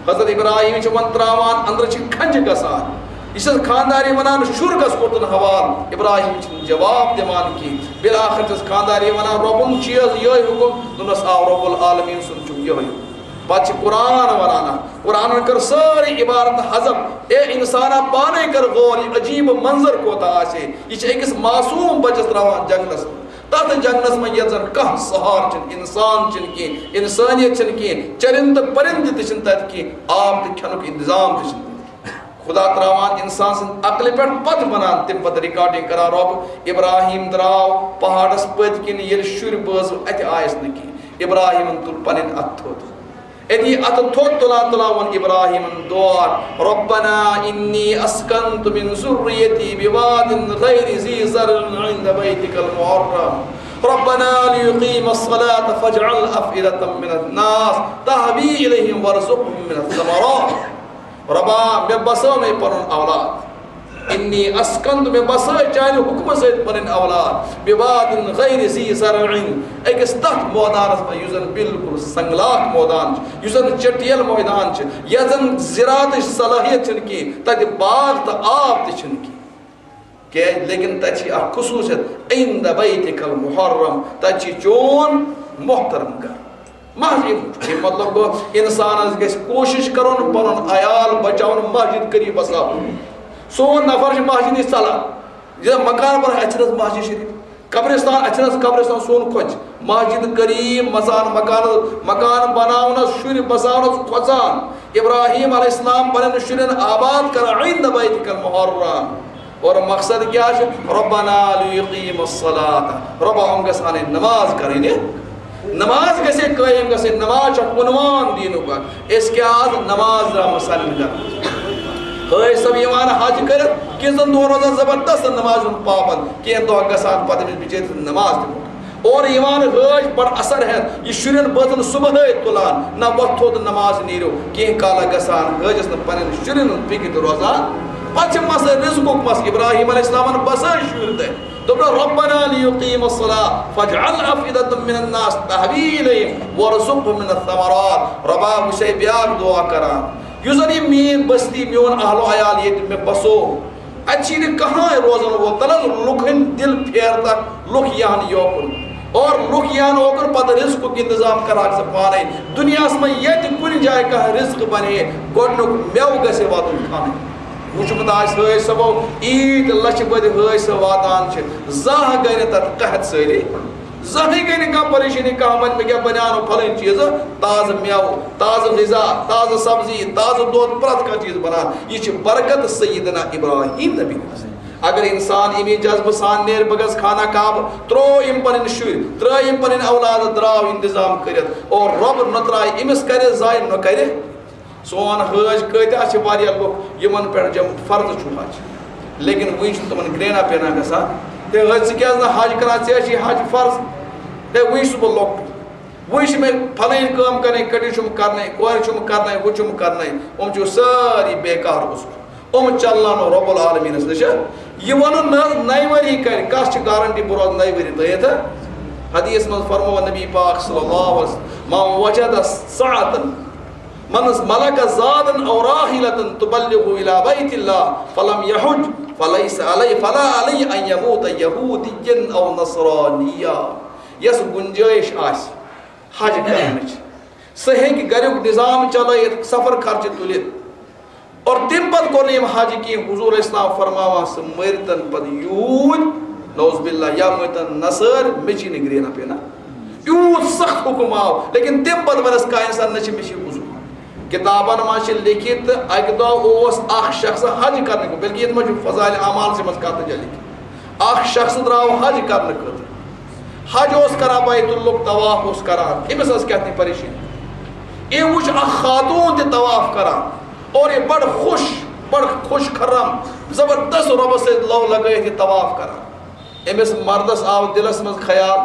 حضرت ابراہیم چھِ وۄنۍ ترٛاوان، أنٛدرٕ چھِ کھنٛجہِ گژھان۔ یہِ چھَس خانٛدارِ وَنان، "شُر کَس کوٚرتُن حوالہٕ؟" ابراہیم چھِنہٕ جواب دِوان کینٛہہ۔ بِلآخر چھَس خانٛدارِ وَنان، "رۄبُن چیٖز یِہوٚے حُکُم؟" دوٚپنَس، "آ، رۄب العالمین سُنٛد چھُ یِہوٚے حُکُم۔" پتہٕ چھِ قرآن ونان، قرآنن کٔر سٲرٕے عبارت حذف۔ اے انسانا، پانے کر غور، یہِ عجیب منظر کوتاہ آسہِ۔ یہِ چھِ أکِس معصوم بچس ترٛاوان جنگلس منٛز۔ تتھ جنگلس منٛز یتھ زن کانٛہہ سہار چھِنہٕ، انسان چھِنہٕ کینٛہہ، انسانیت چھِنہٕ کینٛہہ، چرندٕ پرندٕ تہِ چھِنہٕ تتہِ کینٛہہ، آب تہٕ کھٮ۪نُک انتظام تہِ چھِنہٕ تتہِ۔ خدا ترٛاوان انسان سٕنٛز عقلہِ پٮ۪ٹھ، پتہٕ ونان تَمہِ پتہٕ recording کران، "رۄب، ابراہیم درٛاو پہاڑس پٔتۍ کِنۍ، ییٚلہِ شُرۍ بٲزو، اتہِ آیس نہٕ کینٛہہ۔" ابراہیمن تُل پنٕنۍ اتھٕ تھوٚد۔ أتی اتھٕ تھوٚد تُلان تُلان ووٚن ابراہیمن دعا، "ربنا انی اسکنت من ذریتی بواد غیر ذی زرع عند بیتک المحرم۔ ربنا لیقیموا الصلاة فاجعل افئدة من الناس تہوی الیہم وارزقہم من الثمرات۔" رۄبا، مےٚ بسٲو مےٚ پنُن اولاد۔ انی اسکنت، مےٚ بسٲے چانہِ حُکمہٕ سۭتۍ پنٕنۍ اولاد۔ بواد غیر ذی زرع، أکِس تتھ مٲدانس منٛز یُس زن بالکل سنگلاخ مٲدان چھُ، یُس زن چٹیل مٲدان چھُ، یتھ زن زراعتٕچ صلٲحیت چھنہٕ کینٛہہ، تتہِ باغ تہٕ آب تہِ چھُنہٕ کینٛہہ۔ کیازِ؟ لیکن تتہِ چھِ اکھ خصوٗصیت، عند بیتک المحرم، تتہِ چھِ چون محترم گرٕ۔ محض یہِ، یہِ مطلب گوٚو، انسانس گژھِ کوٗشش کرُن پنُن عیال بچاوُن، مسجد قریب بساوُن۔ سون نفر چھُ مسجد نِش ژلان، یہِ مکان بناوُن، اتہِ چھنہٕ حظ مسجد شریف، قبرستان، اتہِ چھنہٕ حظ قبرستان سون کھۄژِ۔ مسجد قریب، مزان مکان، مکان بناونس، شُرۍ بساونس کھۄژان۔ ابراہیم علیہ السلام پننٮ۪ن شُرٮ۪ن آباد کران عند بیتک المحرم۔ اور مقصد کیٛاہ چھُ؟ ربنا لیقیم الصلاۃ، رۄبا، یِم گژھن اَنٕنۍ نماز کرٕنۍ۔ نماز گژھِ قٲیِم گژھٕنۍ، نماز چھُ عنوان دیٖنُک اکھ۔ أسۍ کیٛاہ آز نماز درٛامٕتۍ سالمہِ گرٕ؟ حٲج صٲب یِوان حج کٔرِتھ، کینٛژن دۄہن روزان زبردست نمازِ ہُنٛد پابند، کینٛہہ دۄہ گژھان پتہٕ أمِس بِچٲرِس نماز تہِ مۄکلان۔ اورٕ یِوان حٲج بڑٕ اثر ہٮ۪تھ، یہِ شُرٮ۪ن بٲژن صبحٲے تُلان، نہ وۄتھ تھوٚد نماز نیٖرِو، کینٛہہ کالا گژھان حٲجس نہٕ پننٮ۪ن شُرٮ۪ن ہٕنٛز فِکر تہِ روزان۔ پتہٕ چھِ مسلہٕ رزقُک مسلہٕ، ابراہیم علیہ السلامن بسٲے شُرۍ تتہِ۔ دوٚپُن، ربنا لیقیم الصلاۃ فاجعل افئدة من الناس تہوی الیہم وارزقہم من الثمرات۔ رۄبا، وۄنۍ چھے بیٛاکھ دعا کران، یُس زن یہِ میٲنۍ بستی، میون اہل و عیال ییٚتہِ مےٚ بسو، اتہِ چھِ نہٕ کٕہٕنۍ روزن وول، تلہٕ حظ لُکھ ہٕنٛدۍ دِل پھیرتکھ، لُکھ یِہن یوکُن۔ اور لُکھ یِہن اوکُن، پتہٕ رزقُک انتظام کرہکھ ژٕ پانے۔ دُنیاہس منٛز ییٚتہِ کُنہِ جایہِ کانٛہہ رزق بنہِ ہے، گۄڈنیُک مٮ۪وٕ گژھِ ہے واتُن کھنہٕ۔ وُچھمُت آسہِ حٲج صٲبو، عیٖد لچھِ بٔدۍ حٲج صٲب واتان چھِ، زانٛہہ گٔے نہٕ تتھ قحط سٲری۔ زانٛہہ گٔے نہٕ کانٛہہ پریشٲنی، کانٛہہ ونہِ مےٚ کیٛاہ بنیٛاونو پھلٲنۍ چیٖزٕ، تازٕ مٮ۪وٕ، تازٕ غذا، تازٕ سبزی، تازٕ دۄد، پرٛٮ۪تھ کانٛہہ چیٖز بنان۔ یہِ چھِ برکت سیدنا ابراہیم نبی۔ اگر انسان امی جذبہٕ سان نیرِ، بہٕ گژھٕ خانہ کعبہٕ، ترٛوو أمۍ پنٕنۍ شُرۍ، ترٛٲے أمۍ پنٕنۍ اولاد، درٛاو انتظام کٔرِتھ، اور رۄب نۄتراوِ أمِس، کرِ ضایع نہ کرِ۔ سون حٲج کۭتیٛاہ چھِ، واریاہ لُکھ یِمن پٮ۪ٹھ جم-، فرض چھُ حج، لیکن وٕنہِ چھُنہٕ تِمن گرٛینا پینا گژھان۔ ہے حٲج، ژٕ کیٛازِ نہٕ حج کران؟ ژےٚ چھُے حج فرض۔ ہے وٕنہِ چھُس بہٕ لۄکُٹ، وٕنہِ چھِ مےٚ پھلٲنۍ کٲم کرٕنۍ، کٔٹِج چھُم کرنَے، کورِ چھُم کرنَے، ہُہ چھُم کرنَے۔ یِم چھِ سٲری بیکار عذر۔ یِم چلناونو رب العالمینس نِش۔ یہِ وَنُن نہ حظ، نَیہِ ؤری کرِ، کس چھِ گارنٹی بہٕ روزٕ نَیہِ ؤری تٔتھۍ؟ حدیث منٛز فرموو نبی پاک صلی اللہ علیہ وسلم، "من وجد سعة، من ملک زادا او راحلة تبلغه الی بیت اللہ فلم یحج فلیس علی، فلا علی ان یموت یہودیا او نصرانیا۔" یس گنجائش آسہِ حج کرنٕچ، سُہ ہیٚکہِ گریُک نظام چلٲیِتھ، سفر خرچہٕ تُلِتھ۔ اور تَمہِ پتہٕ کوٚر نہٕ أمۍ حج کینٛہہ۔ حضور اسلام فرماوان، سُہ مٔرۍ تن پتہٕ یہوٗدۍ، نعوذ باللہ، یا مٔرۍ تن نصٲرۍ، مےٚ چھی نہٕ گرٛینا پینا۔ یوٗت سخت حُکم آو، لیکن تَمہِ پتہٕ وَنس کانٛہہ اِنسان، نہ چھِ مےٚ چھِ عذر۔ کِتابن منٛز چھِ لیٚکھِتھ، تہٕ اَکہِ دۄہ اوس اکھ شخص حج کرنہٕ خٲطرٕ، بلکہِ ییٚتہِ منٛز چھُ فضائل اعمال چھِ منٛز کتھ جایہِ لیٚکھِتھ۔ اکھ شخص درٛاو حج کرنہٕ خٲطرٕ۔ حج اوس کران، بیت اللہ طواف اوس کران، أمِس ٲس کیٛاہ تام پریشٲنی۔ أمۍ وٕچھ اکھ خاتوٗن تہِ طواف کران، اور یہِ بڑٕ خۄش، بڑٕ خۄش خرم، زبردست رۄبس سۭتۍ لو لگٲیِتھ یہِ طواف کران۔ أمِس مردس آو دِلس منٛز خیال،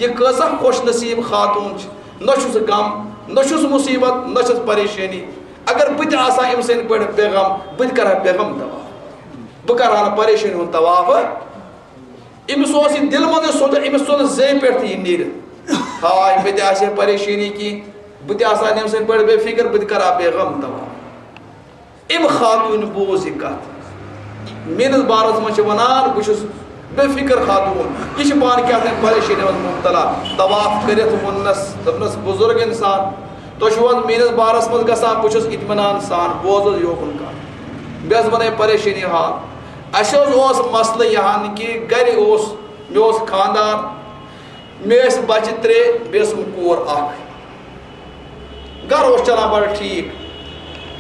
یہِ کۭژاہ خۄش نصیٖب خاتوٗن چھِ، نہ چھُس غم، نہ چھُس مُصیبت، نہ چھَس پریشٲنی۔ اگر بہٕ تہِ آسہٕ ہا أمۍ سٕنٛدۍ پٲٹھۍ بے غم، بہٕ تہِ کرٕ ہا بے غم طواف، بہٕ کرٕ ہا نہٕ پریشٲنی ہُنٛد طواف۔ أمِس اوس یہِ دِلہٕ منٛزٕے سونٛچان، أمِس ژوٚل زیٚیہِ پٮ۪ٹھ تہِ یہِ نیٖرِتھ۔ ہاے، مےٚ تہِ آسہِ ہے پریشٲنی کینٛہہ، بہٕ تہِ آسہٕ ہا نہٕ أمۍ سٕنٛدۍ پٲٹھۍ بے فِکر، بہٕ تہِ کرٕ ہا بے غم طواف۔ أمۍ خاتوٗنہِ بوٗز یہِ کَتھ۔ میٛٲنِس بارَس منٛز چھِ وَنان، بہٕ چھُس بے فِکر خاتوٗن۔ یہِ چھِ پانہٕ کیٛاہ تام پریشٲنی منٛز مُبتلا۔ طواف کٔرِتھ ووٚننَس، دوٚپنَس، بُزرگ اِنسان، تُہۍ چھِو حظ میٛٲنِس بارَس منٛز گژھان؟ بہٕ چھُس اطمینان سان، بوز حظ یوکُن کَتھ۔ بیٚیہِ حظ وَنَے پریشٲنی حال۔ اَسہِ حظ اوس مسلہٕ یہِ ہَن کہِ گَرِ اوس، مےٚ اوس خانٛدار، مےٚ ٲسۍ بَچہِ ترٛےٚ، بیٚیہِ ٲسٕم کوٗر اَکھ۔ گَرٕ اوس چَلان بَڑٕ ٹھیٖک۔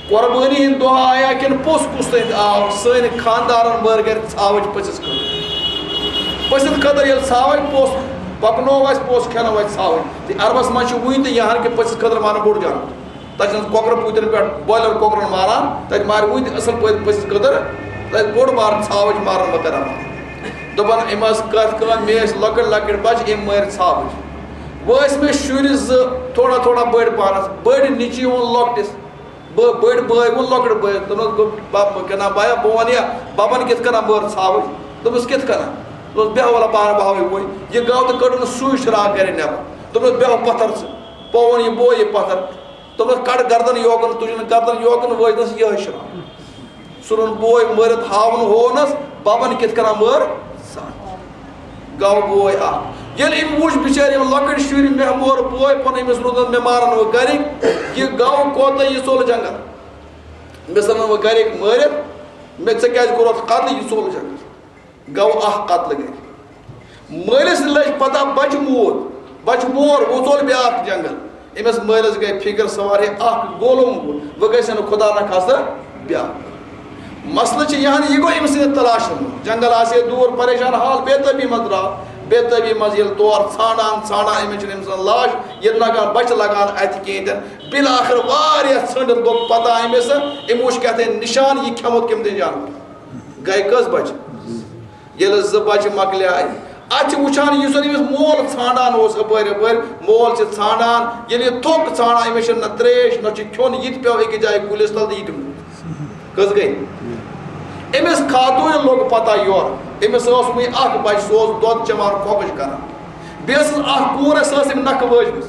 قۄربٲنی ہِنٛدۍ دۄہ آیا کِنہٕ پوٚژھ کُس تانۍ آو، سٲنۍ خانٛدارَن بٔر گَرِ ژھاوٕج پٔژھِس خٲطرٕ۔ پٔژھِس خٲطرٕ ییٚلہِ ژھاوٕج پوٚژھ پَکنوو اَسہِ، پوٚژھ کھٮ۪نو اَسہِ ژھاوٕج۔ تہٕ عربَس منٛز چھِ وٕنہِ تہِ یہِ ہَن کہِ پٔژھِس خٲطرٕ ماران بوٚڑ جانوَر۔ تَتہِ چھِ بۄکرٕ پوٗتٮ۪ن پٮ۪ٹھ، بویلَر کۄکرَن ماران، تَتہِ مارِ وٕنہِ تہِ اَصٕل پٲٹھۍ پٔژھِس خٲطرٕ۔ تَتہِ بوٚڑ بار ژھاوٕج ماران مۄکران۔ دوٚپُن، أمۍ ٲس کَتھ کٲم، مےٚ ٲسۍ لۄکٕٹۍ لۄکٕٹۍ بَچہٕ، أمۍ مٲرۍ ژھاوٕج۔ وۄنۍ ٲسۍ مےٚ شُرۍ زٕ تھوڑا تھوڑا بٔڑۍ پانَس، بٔڑۍ نیٚچی ووٚن لۄکٹِس، بہٕ، بٔڑۍ بٲے ووٚن لۄکٕٹ بٲیِس، دوٚپنَس، بہٕ، بَب، کِنہ بیا، بہٕ وَنہٕ یا بَبَن کِتھ کٔنۍ مٲر ژھاوٕج؟ دوٚپمَس، کِتھ کٔنۍ؟ دوٚپُس، بیٚہہ وَلہ بہٕ ہاوَے وۄنۍ۔ یہِ گاو تہٕ کٔڑٕن سُے شراکھ گَرِ نٮ۪بر۔ دوٚپنَس، بیٚہہ پَتھَر ژٕ۔ پووُن یہِ بوے یہِ پَتھَر۔ دوٚپنَس، کَڑ گردَن یوکُن، تُجِن گردَن یوکُن، وٲجنَس یِہوٚے شراکھ۔ سُہ روٚن بوے مٲرِتھ، ہاوُن ہوونَس، بَبَن کِتھ کٔنۍ مٲر؟ گاو بوے اَکھ۔ ییٚلہِ أمۍ وُچھ بِچٲرۍ یِم لۄکٕٹۍ شُرۍ، مےٚ مور بوے پَنُن، أمِس روٗدَن مےٚ مارَن وۄنۍ گَرِکۍ، یہِ گاو کوتاہ یہِ ژوٚل جنٛگل۔ مےٚ ژھٕنَن وۄنۍ گَرِکۍ مٲرِتھ، مےٚ ژےٚ کیٛازِ کوٚرُتھ قتل، یہِ ژوٚل جنٛگل۔ گوٚو اکھ قتلہٕ گٔے۔ مٲلِس لٔج پتہ بچہٕ موٗد، بچہٕ مور وۄژول بیٛاکھ جنگل۔ أمِس مٲلِس گٔے فکر، سوارے اکھ گولوم گوٚو، وۄنۍ گژھِ نہٕ خدا نہ خاصہ بیٛاکھ۔ مسلہٕ چھِ یہِ ہن، یہِ گوٚو أمۍ سٕنٛدِ تلاشہِ منٛز۔ جنگل آسہِ ہے دوٗر، پریشان حال، بے تٲبی منٛز درٛاو۔ بے تٲبی منٛز ییٚلہِ تور ژھانڈان ژھانڈان أمِس چھِنہٕ أمۍ سٕنٛز لاش، ییٚتہِ نہ کانٛہہ بچہٕ لگان اَتھِ کِہیٖنۍ تہِ نہٕ۔ بالآخر واریاہ ژھٲنٛڈِتھ گوٚو پتہ أمِس، أمۍ وٕچھ کیٛاہ تام نِشان، یہِ کھٮ۪مُت کٔمۍ تام جانور۔ گٔے کٔژ بچہِ؟ ییٚلہِ زٕ بچہِ مۄکلیے، اَتہِ چھِ وٕچھان، یُس زَن أمِس مول ژھانڈان اوس اَپٲرۍ یَپٲرۍ، مول چھِ ژھانڈان، ییٚلہِ یہِ تھوٚک ژھانڈان، أمِس چھِنہٕ نہ ترٛیش، نہ چھُ کھیوٚن، یہِ تہِ پیوٚو أکِس جایہِ کُلِس تَل تہٕ یہِ تہِ موٗد۔ کٔژ گٔے؟ أمِس خاتوٗنہِ لوٚگ پَتہ یورٕ، أمِس ٲس وٕنہِ اَکھ بَچہِ، سُہ اوس دۄد چٮ۪وان، کھۄکٕج کَران۔ بیٚیہِ ٲسٕس اَکھ کوٗر، سۄ ٲس أمۍ نَکھٕ وٲجمٕژ۔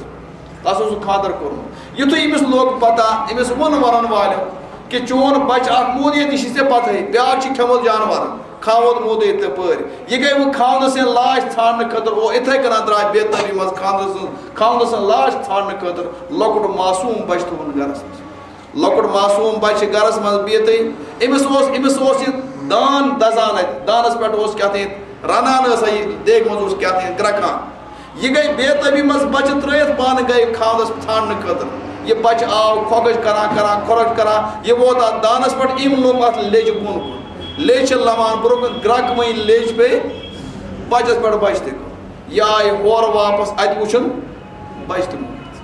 تَس اوسُکھ خانٛدر کوٚرمُت۔ یُتھُے أمِس لوٚگ پَتہ، أمِس ووٚن وَنَن والٮ۪و کہِ چون بَچہٕ اَکھ موٗد ییٚتہِ، یہِ چھِ ژےٚ پَتہٕے، بیٛاکھ چھِ کھٮ۪مُت جانوَرَن، کھاوُت موٗدٕے تَپٲرۍ۔ یہِ گٔے وۄنۍ خاوندٕ سٕنٛدِ لاش ژھانٛڈنہٕ خٲطرٕ، او، یِتھَے کٔنۍ درٛاے بے تٲبی منٛز خاوندٕ سٕنٛز، خاوندٕ سٕنٛز لاش ژھانٛڈنہٕ خٲطرٕ لۄکُٹ معصوٗم بَچہٕ تُہُنٛد گَرَس منٛز۔ لۄکُٹ معصوٗم بَچہٕ گَرَس منٛز بِہِتھٕے، أمِس اوس، أمِس اوس یہِ دان دَزان اَتہِ، دانَس پٮ۪ٹھ اوس کیٛاہ تام رَنان، ٲس یہِ دیگہِ منٛز اوس کیٛاہ تام گرٛٮ۪کان۔ یہِ گٔے بے تٲبی منٛز بَچہٕ ترٛٲیِتھ، پانہٕ گٔے خاوندَس ژھانٛڈنہٕ خٲطرٕ۔ یہِ بَچہٕ آو کھۄکٕج کَران کَران، کھۄکٕج کَران، یہِ ووت اَتھ دانَس پٮ۪ٹھ، أمۍ لوٚم اَتھ لیٚجہِ بۄن کُن۔ لیٚجہِ چھِ لَمان برٛونٛہہ کُن، گرٛٮ۪کہٕ وۄنۍ لیٚجہِ پیٚیہِ بَچَس پٮ۪ٹھ، بَچہٕ تہِ گوٚو۔ یہِ آیہِ ہورٕ واپَس، اَتہِ وٕچھُن بَچہٕ تہِ موٗدمُت۔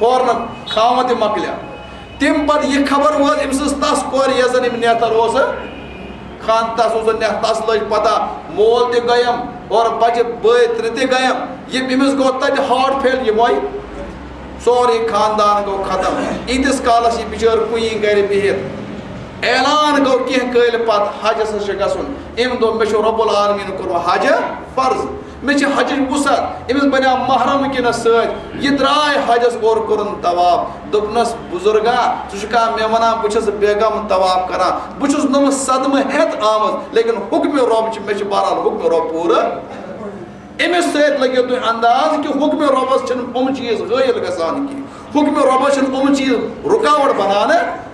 ہورٕ نہٕ خاوند تہِ مۄکلیٛاو۔ تَمہِ پَتہٕ یہِ خبر وٲژ أمۍ سٕنٛز تَس کورِ، یۄس زَن أمۍ نیتَر اوس خان، تَس اوس نہ، تَس لٔج پَتہ، مول تہِ گٔیم اور بَچہٕ بٲے ترٛےٚ تہِ گٔیم۔ یہِ أمِس گوٚو تَتہِ ہارٹ فیل، یہِ مۄیہِ۔ سورُے خاندان گوٚو ختم۔ ییٖتِس کالَس یہِ بِچٲر کُنی گَرِ بِہِتھ، اعلان گوٚو کینٛہہ کٲلۍ پَتہٕ، حجَس حظ چھُ گژھُن۔ أمۍ دوٚپ، مےٚ چھُ رۄب العالمیٖن کوٚرمُت حج فرض۔ مےٚ چھِ حجٕچ وُسعت، أمِس بنیٛاو محرم وٕنکیٚنَس سۭتۍ۔ یہِ درٛاے حجَس، اورٕ کوٚرُن طواف۔ دوٚپنَس، بُزرگا، ژٕ چھُکھا مےٚ وَنان بہٕ چھُس بیگم طواف کران؟ بہٕ چھُس نہٕ صدمہٕ ہٮ۪تھ آمٕژ، لیکن حُکمِ رۄب چھِ، مےٚ چھِ بہرحال حُکمِ رۄب پوٗرٕ۔ أمِس سۭتۍ لٔگِو تُہۍ انداز کہِ حُکمِ رۄبَس چھِنہٕ یِم چیٖز حٲیِل گژھان کینٛہہ۔ حُکمِ رۄبَس چھِنہٕ یِم چیٖز رُکاوَٹ بنان۔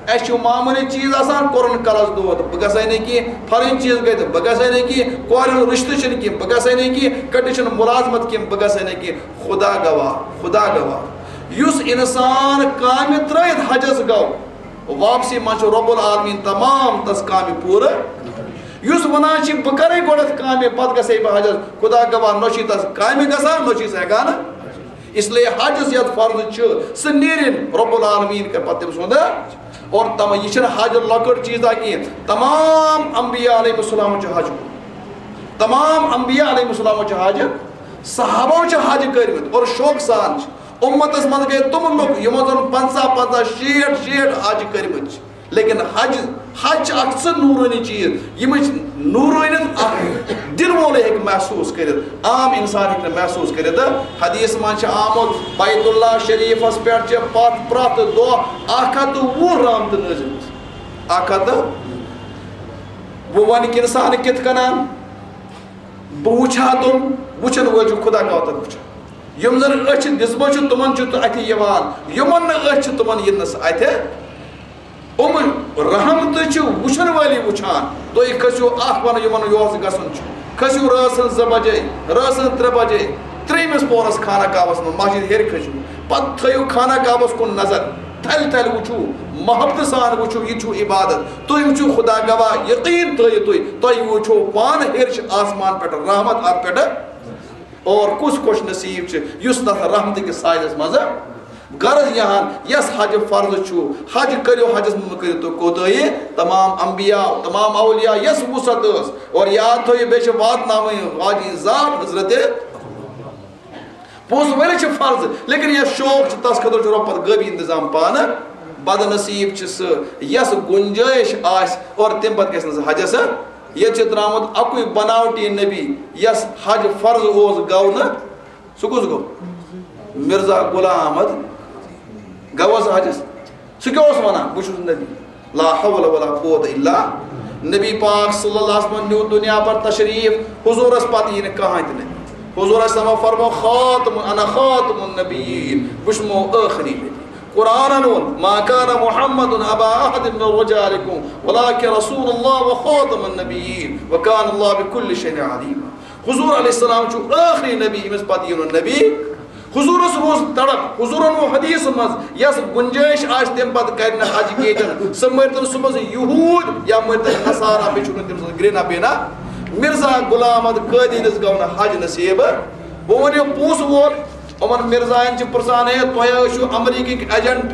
اَسہِ چھُ معموٗلی چیٖز آسان، کوٚرُن کَلَس دود، بہٕ گژھَے نہٕ کینٛہہ، پھَلٲنۍ چیٖز گٔے تہٕ بہٕ گژھَے نہٕ کینٛہہ، کورِ ہُنٛد رِشتہٕ چھِنہٕ کینٛہہ، بہٕ گژھَے نہٕ کینٛہہ، کٔٹِس چھِنہٕ مُلازمَت کینٛہہ، بہٕ گژھَے نہٕ کینٛہہ۔ خدا گواہ، خدا گواہ، یُس اِنسان کامہِ ترٛٲیِتھ حجَس گوٚو، واپسی منٛز چھُ رۄب العالمیٖن تمام تَس کامہِ پوٗرٕ۔ یُس وَنان چھِ، بہٕ کَرَے گۄڈَتھ کامہِ، پَتہٕ گژھَے بہٕ حجَس، خدا گواہ، نہ چھُے تَس کامہِ گژھان، نہ چھُے سُہ ہٮ۪کان۔ اس لیے حج یس یتھ فرض چھُ، سُہ نیرِن، رب العالمین کرِ پتہٕ تٔمۍ سُنٛد۔ اور تم، یہِ چھُنہٕ حج لۄکُٹ چیٖزا کینٛہہ۔ تمام انبیاء علیہ السلام چھُ حج کوٚرمُت۔ تمام انبیاء علیہ السلام چھُ حج، صحابو چھِ حج کٔرمٕتۍ اور شوقہٕ سان چھِ۔ امتس منٛز گٔے تِم لُکھ یِمن زن پنٛژاہ پنٛژاہ، شیٹھ شیٹھ حج کٔرمٕتۍ چھِ۔ لیکن حج، حج چھِ اکھ سُہ نورٲنی چیٖز، ییٚمِچ نورٲنیت اکھ دِل وولٕے ہیٚکہِ محسوٗس کٔرِتھ، عام انسان ہیٚکہِ نہٕ محسوٗس کٔرِتھ۔ حدیث منٛز چھِ آمُت، بیت اللہ شریفس پٮ۪ٹھ چھِ پتھ پرٛٮ۪تھ دۄہ اکھ ہتھ تہٕ وُہ رحمتہٕ نٲزِل گژھان۔ اکھ ہتھ تہٕ وُہ۔ وۄنۍ کہِ انسان کِتھ کٔنۍ؟ بہٕ وٕچھِ ہا تِم، وٕچھن وٲلۍ چھُ خدا کاتن وٕچھان۔ یِم زن أچھ دِژمٕژ چھِ، تِمن چھُ تہٕ اتھِ یِوان، یِمن نہٕ أچھ چھِ، تِمن یِن نہٕ سُہ اتھِ۔ یِم رحمتہٕ چھِ وٕچھن وٲلی وٕچھان۔ تُہۍ کھٔسِو، اکھ ونہٕ یِمن یور گژھُن چھُ، کھٔسِو رٲژ ہٕنٛز زٕ بجے، رٲژ ہٕنٛز ترٛےٚ بجے، ترٛیٚیِمِس پورس خانہ کعبس منٛز، مسجد ہیٚرِ کھٔسِو، پتہٕ تھٲیِو خانہ کعبس کُن نظر، تھلہِ تھلہِ وٕچھِو، محبتہٕ سان وٕچھِو، یہِ چھُ عبادت۔ تُہۍ وٕچھِو خدا گواہ، یقین تھٲیِو تُہۍ، تۄہہِ وٕچھو پانہٕ ہیٚرِ چھِ آسمان پٮ۪ٹھ رحمت اتھ پٮ۪ٹھ۔ اور کُس خوش نصیب چھُ یُس تتھ رحمتہٕ کِس سایَس منٛز۔ غرض یہِ ہن، یس حج فرض چھُ، حج کٔرِو، حجس منٛز مہٕ کٔرِو تُہۍ کوتٲہی۔ تمام انبیاء، تمام اولیاء یس وسعت ٲس، اور یاد تھٲیِو، بیٚیہِ چھِ واتناوٕنۍ واجہِ ذات حضرت۔ پونٛسہٕ وٲلِس چھِ فرض، لیکن یس شوق چھُ، تس خٲطرٕ چھُ رۄب پتہٕ غٲبی انتظام پانہٕ۔ بد نصیب چھُ سُہ، یس گنجٲیش آسہِ اور تمہِ پتہٕ گژھِ نہٕ سُہ حجس۔ ییٚتہِ چھِ درٛامُت اَکُے بناوٹی نبی، یَس حج فرض اوس، گوٚو نہٕ۔ سُہ کُس گوٚو؟ مرزا غلام احمد۔ گوٚو حظ حجس؟ سُہ کیٛاہ اوس وَنان؟ بہٕ چھُس نبی۔ لا حول ولا قوت الا۔ نبی پاک صلی اللہ علیہ وسلم نیوٗ دُنیا پر تشریٖف، حضوٗرس پتہٕ یی نہٕ کٕہٕنۍ تہِ نبی۔ حضوٗر علیہ السلام فرموو، خاتم، انا خاتم النبیین، بہٕ چھُس مو ٲخری نبی۔ قرآنن ووٚن، ما كان محمد أبا أحد من رجالكم ولكن رسول الله وخاتم النبيين وكان الله بكل شيء عليما۔ حضور علیہ السلام چھُ ٲخری نبی، ییٚمِس پتہٕ یِنو نبی۔ حضورس روٗز تڑپ، حضورن ووٚن حدیثس منٛز، یس گنجٲیش آسہِ تمہِ پتہٕ کرِ نہٕ حج کینٛہہ، سُہ مٔرۍتن صُبحس یہوٗد یا مٔرۍتن نصارا، بیٚیہِ چھُنہٕ تٔمۍ سٕنٛز گرٛینہ بینا۔ مرزا غلام احمد قٲدیٲنِس گوٚو نہٕ حج نصیب۔ وۄنۍ ؤنِو پونٛسہٕ وول، یِمن مرزاین چھِ پرژھان، ہے، تۄہہِ ٲسِو امریکٕکۍ ایجنٹ،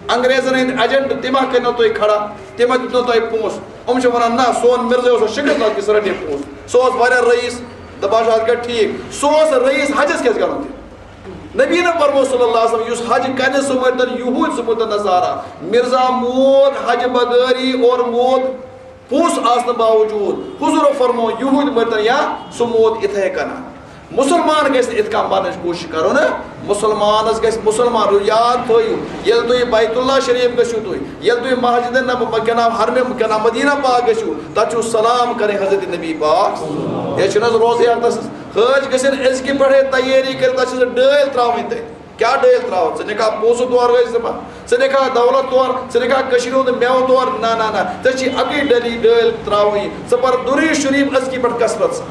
انگریزن ہٕنٛدۍ ایجنٹ، تِم ہا کٔرنو تۄہہِ کھڑا، تِم ہا دِتنو تۄہہِ پونٛسہٕ؟ یِم چھِ ونان، نہ، سون مرزا اوس شِکر تل کِس رٹے پونٛسہٕ۔ سُہ اوس واریاہ رئیس، دپان چھُ، اتھ گژھِ ٹھیٖک۔ سُہ اوس رئیس، حجس کیٛازِ کرُن تیٚلہِ؟ نبی نہ فرمو صلی اللہ علیہ وسلم، یُس حج کرِ، سُہ مٔرۍتن یہوٗد، سُہ مٔرۍتن نصارا۔ مرزا موٗد حج بغٲری اور موٗد پونٛسہٕ آسنہٕ باوجوٗد۔ حضوٗرو فرموو، یہوٗدۍ مٔرۍتن یا سُہ موت اِتھَے کٔنۍ۔ مُسلمان گژھِ نہٕ اِتھ کٔنۍ بننٕچ کوٗشِش کرُن۔ مُسلمانس گژھِ مُسلمان روزُن۔ یاد تھٲیِو، ییٚلہِ تُہۍ بیت اللہ شریف گٔژھِو تُہۍ، ییٚلہِ تُہۍ مسجد نب-، کیٛاہ نام، حرمہِ، کیٛاہ نام، مدینہ پاک گٔژھِو، تتھ چھُو سلام کرٕنۍ حضرت نبی پاک۔ یہِ چھُنہٕ حظ روزٕے اکھ تس حٲج گژھن أزکہِ پٮ۪ٹھے تیٲری کٔرِتھ، تتھ چھِ ڈٲلۍ ترٛاوٕنۍ تتہِ۔ کیٛاہ ڈٲلۍ ترٛاوَتھ؟ ژٕ نِکھا پونٛسہٕ تورٕ ٲسۍ دِوان، ژٕ نِکھا دولت تورٕ، ژٕ نِکھا کٔشیٖرِ ہُنٛد مٮ۪وٕ تورٕ؟ نہ، نہ، نہ، ژےٚ چھی اَکٕے ڈٔلی ڈٲلۍ ترٛاوٕنۍ۔ ژٕ پَر درود شریٖف أزکہِ پٮ۪ٹھ کثرت سان۔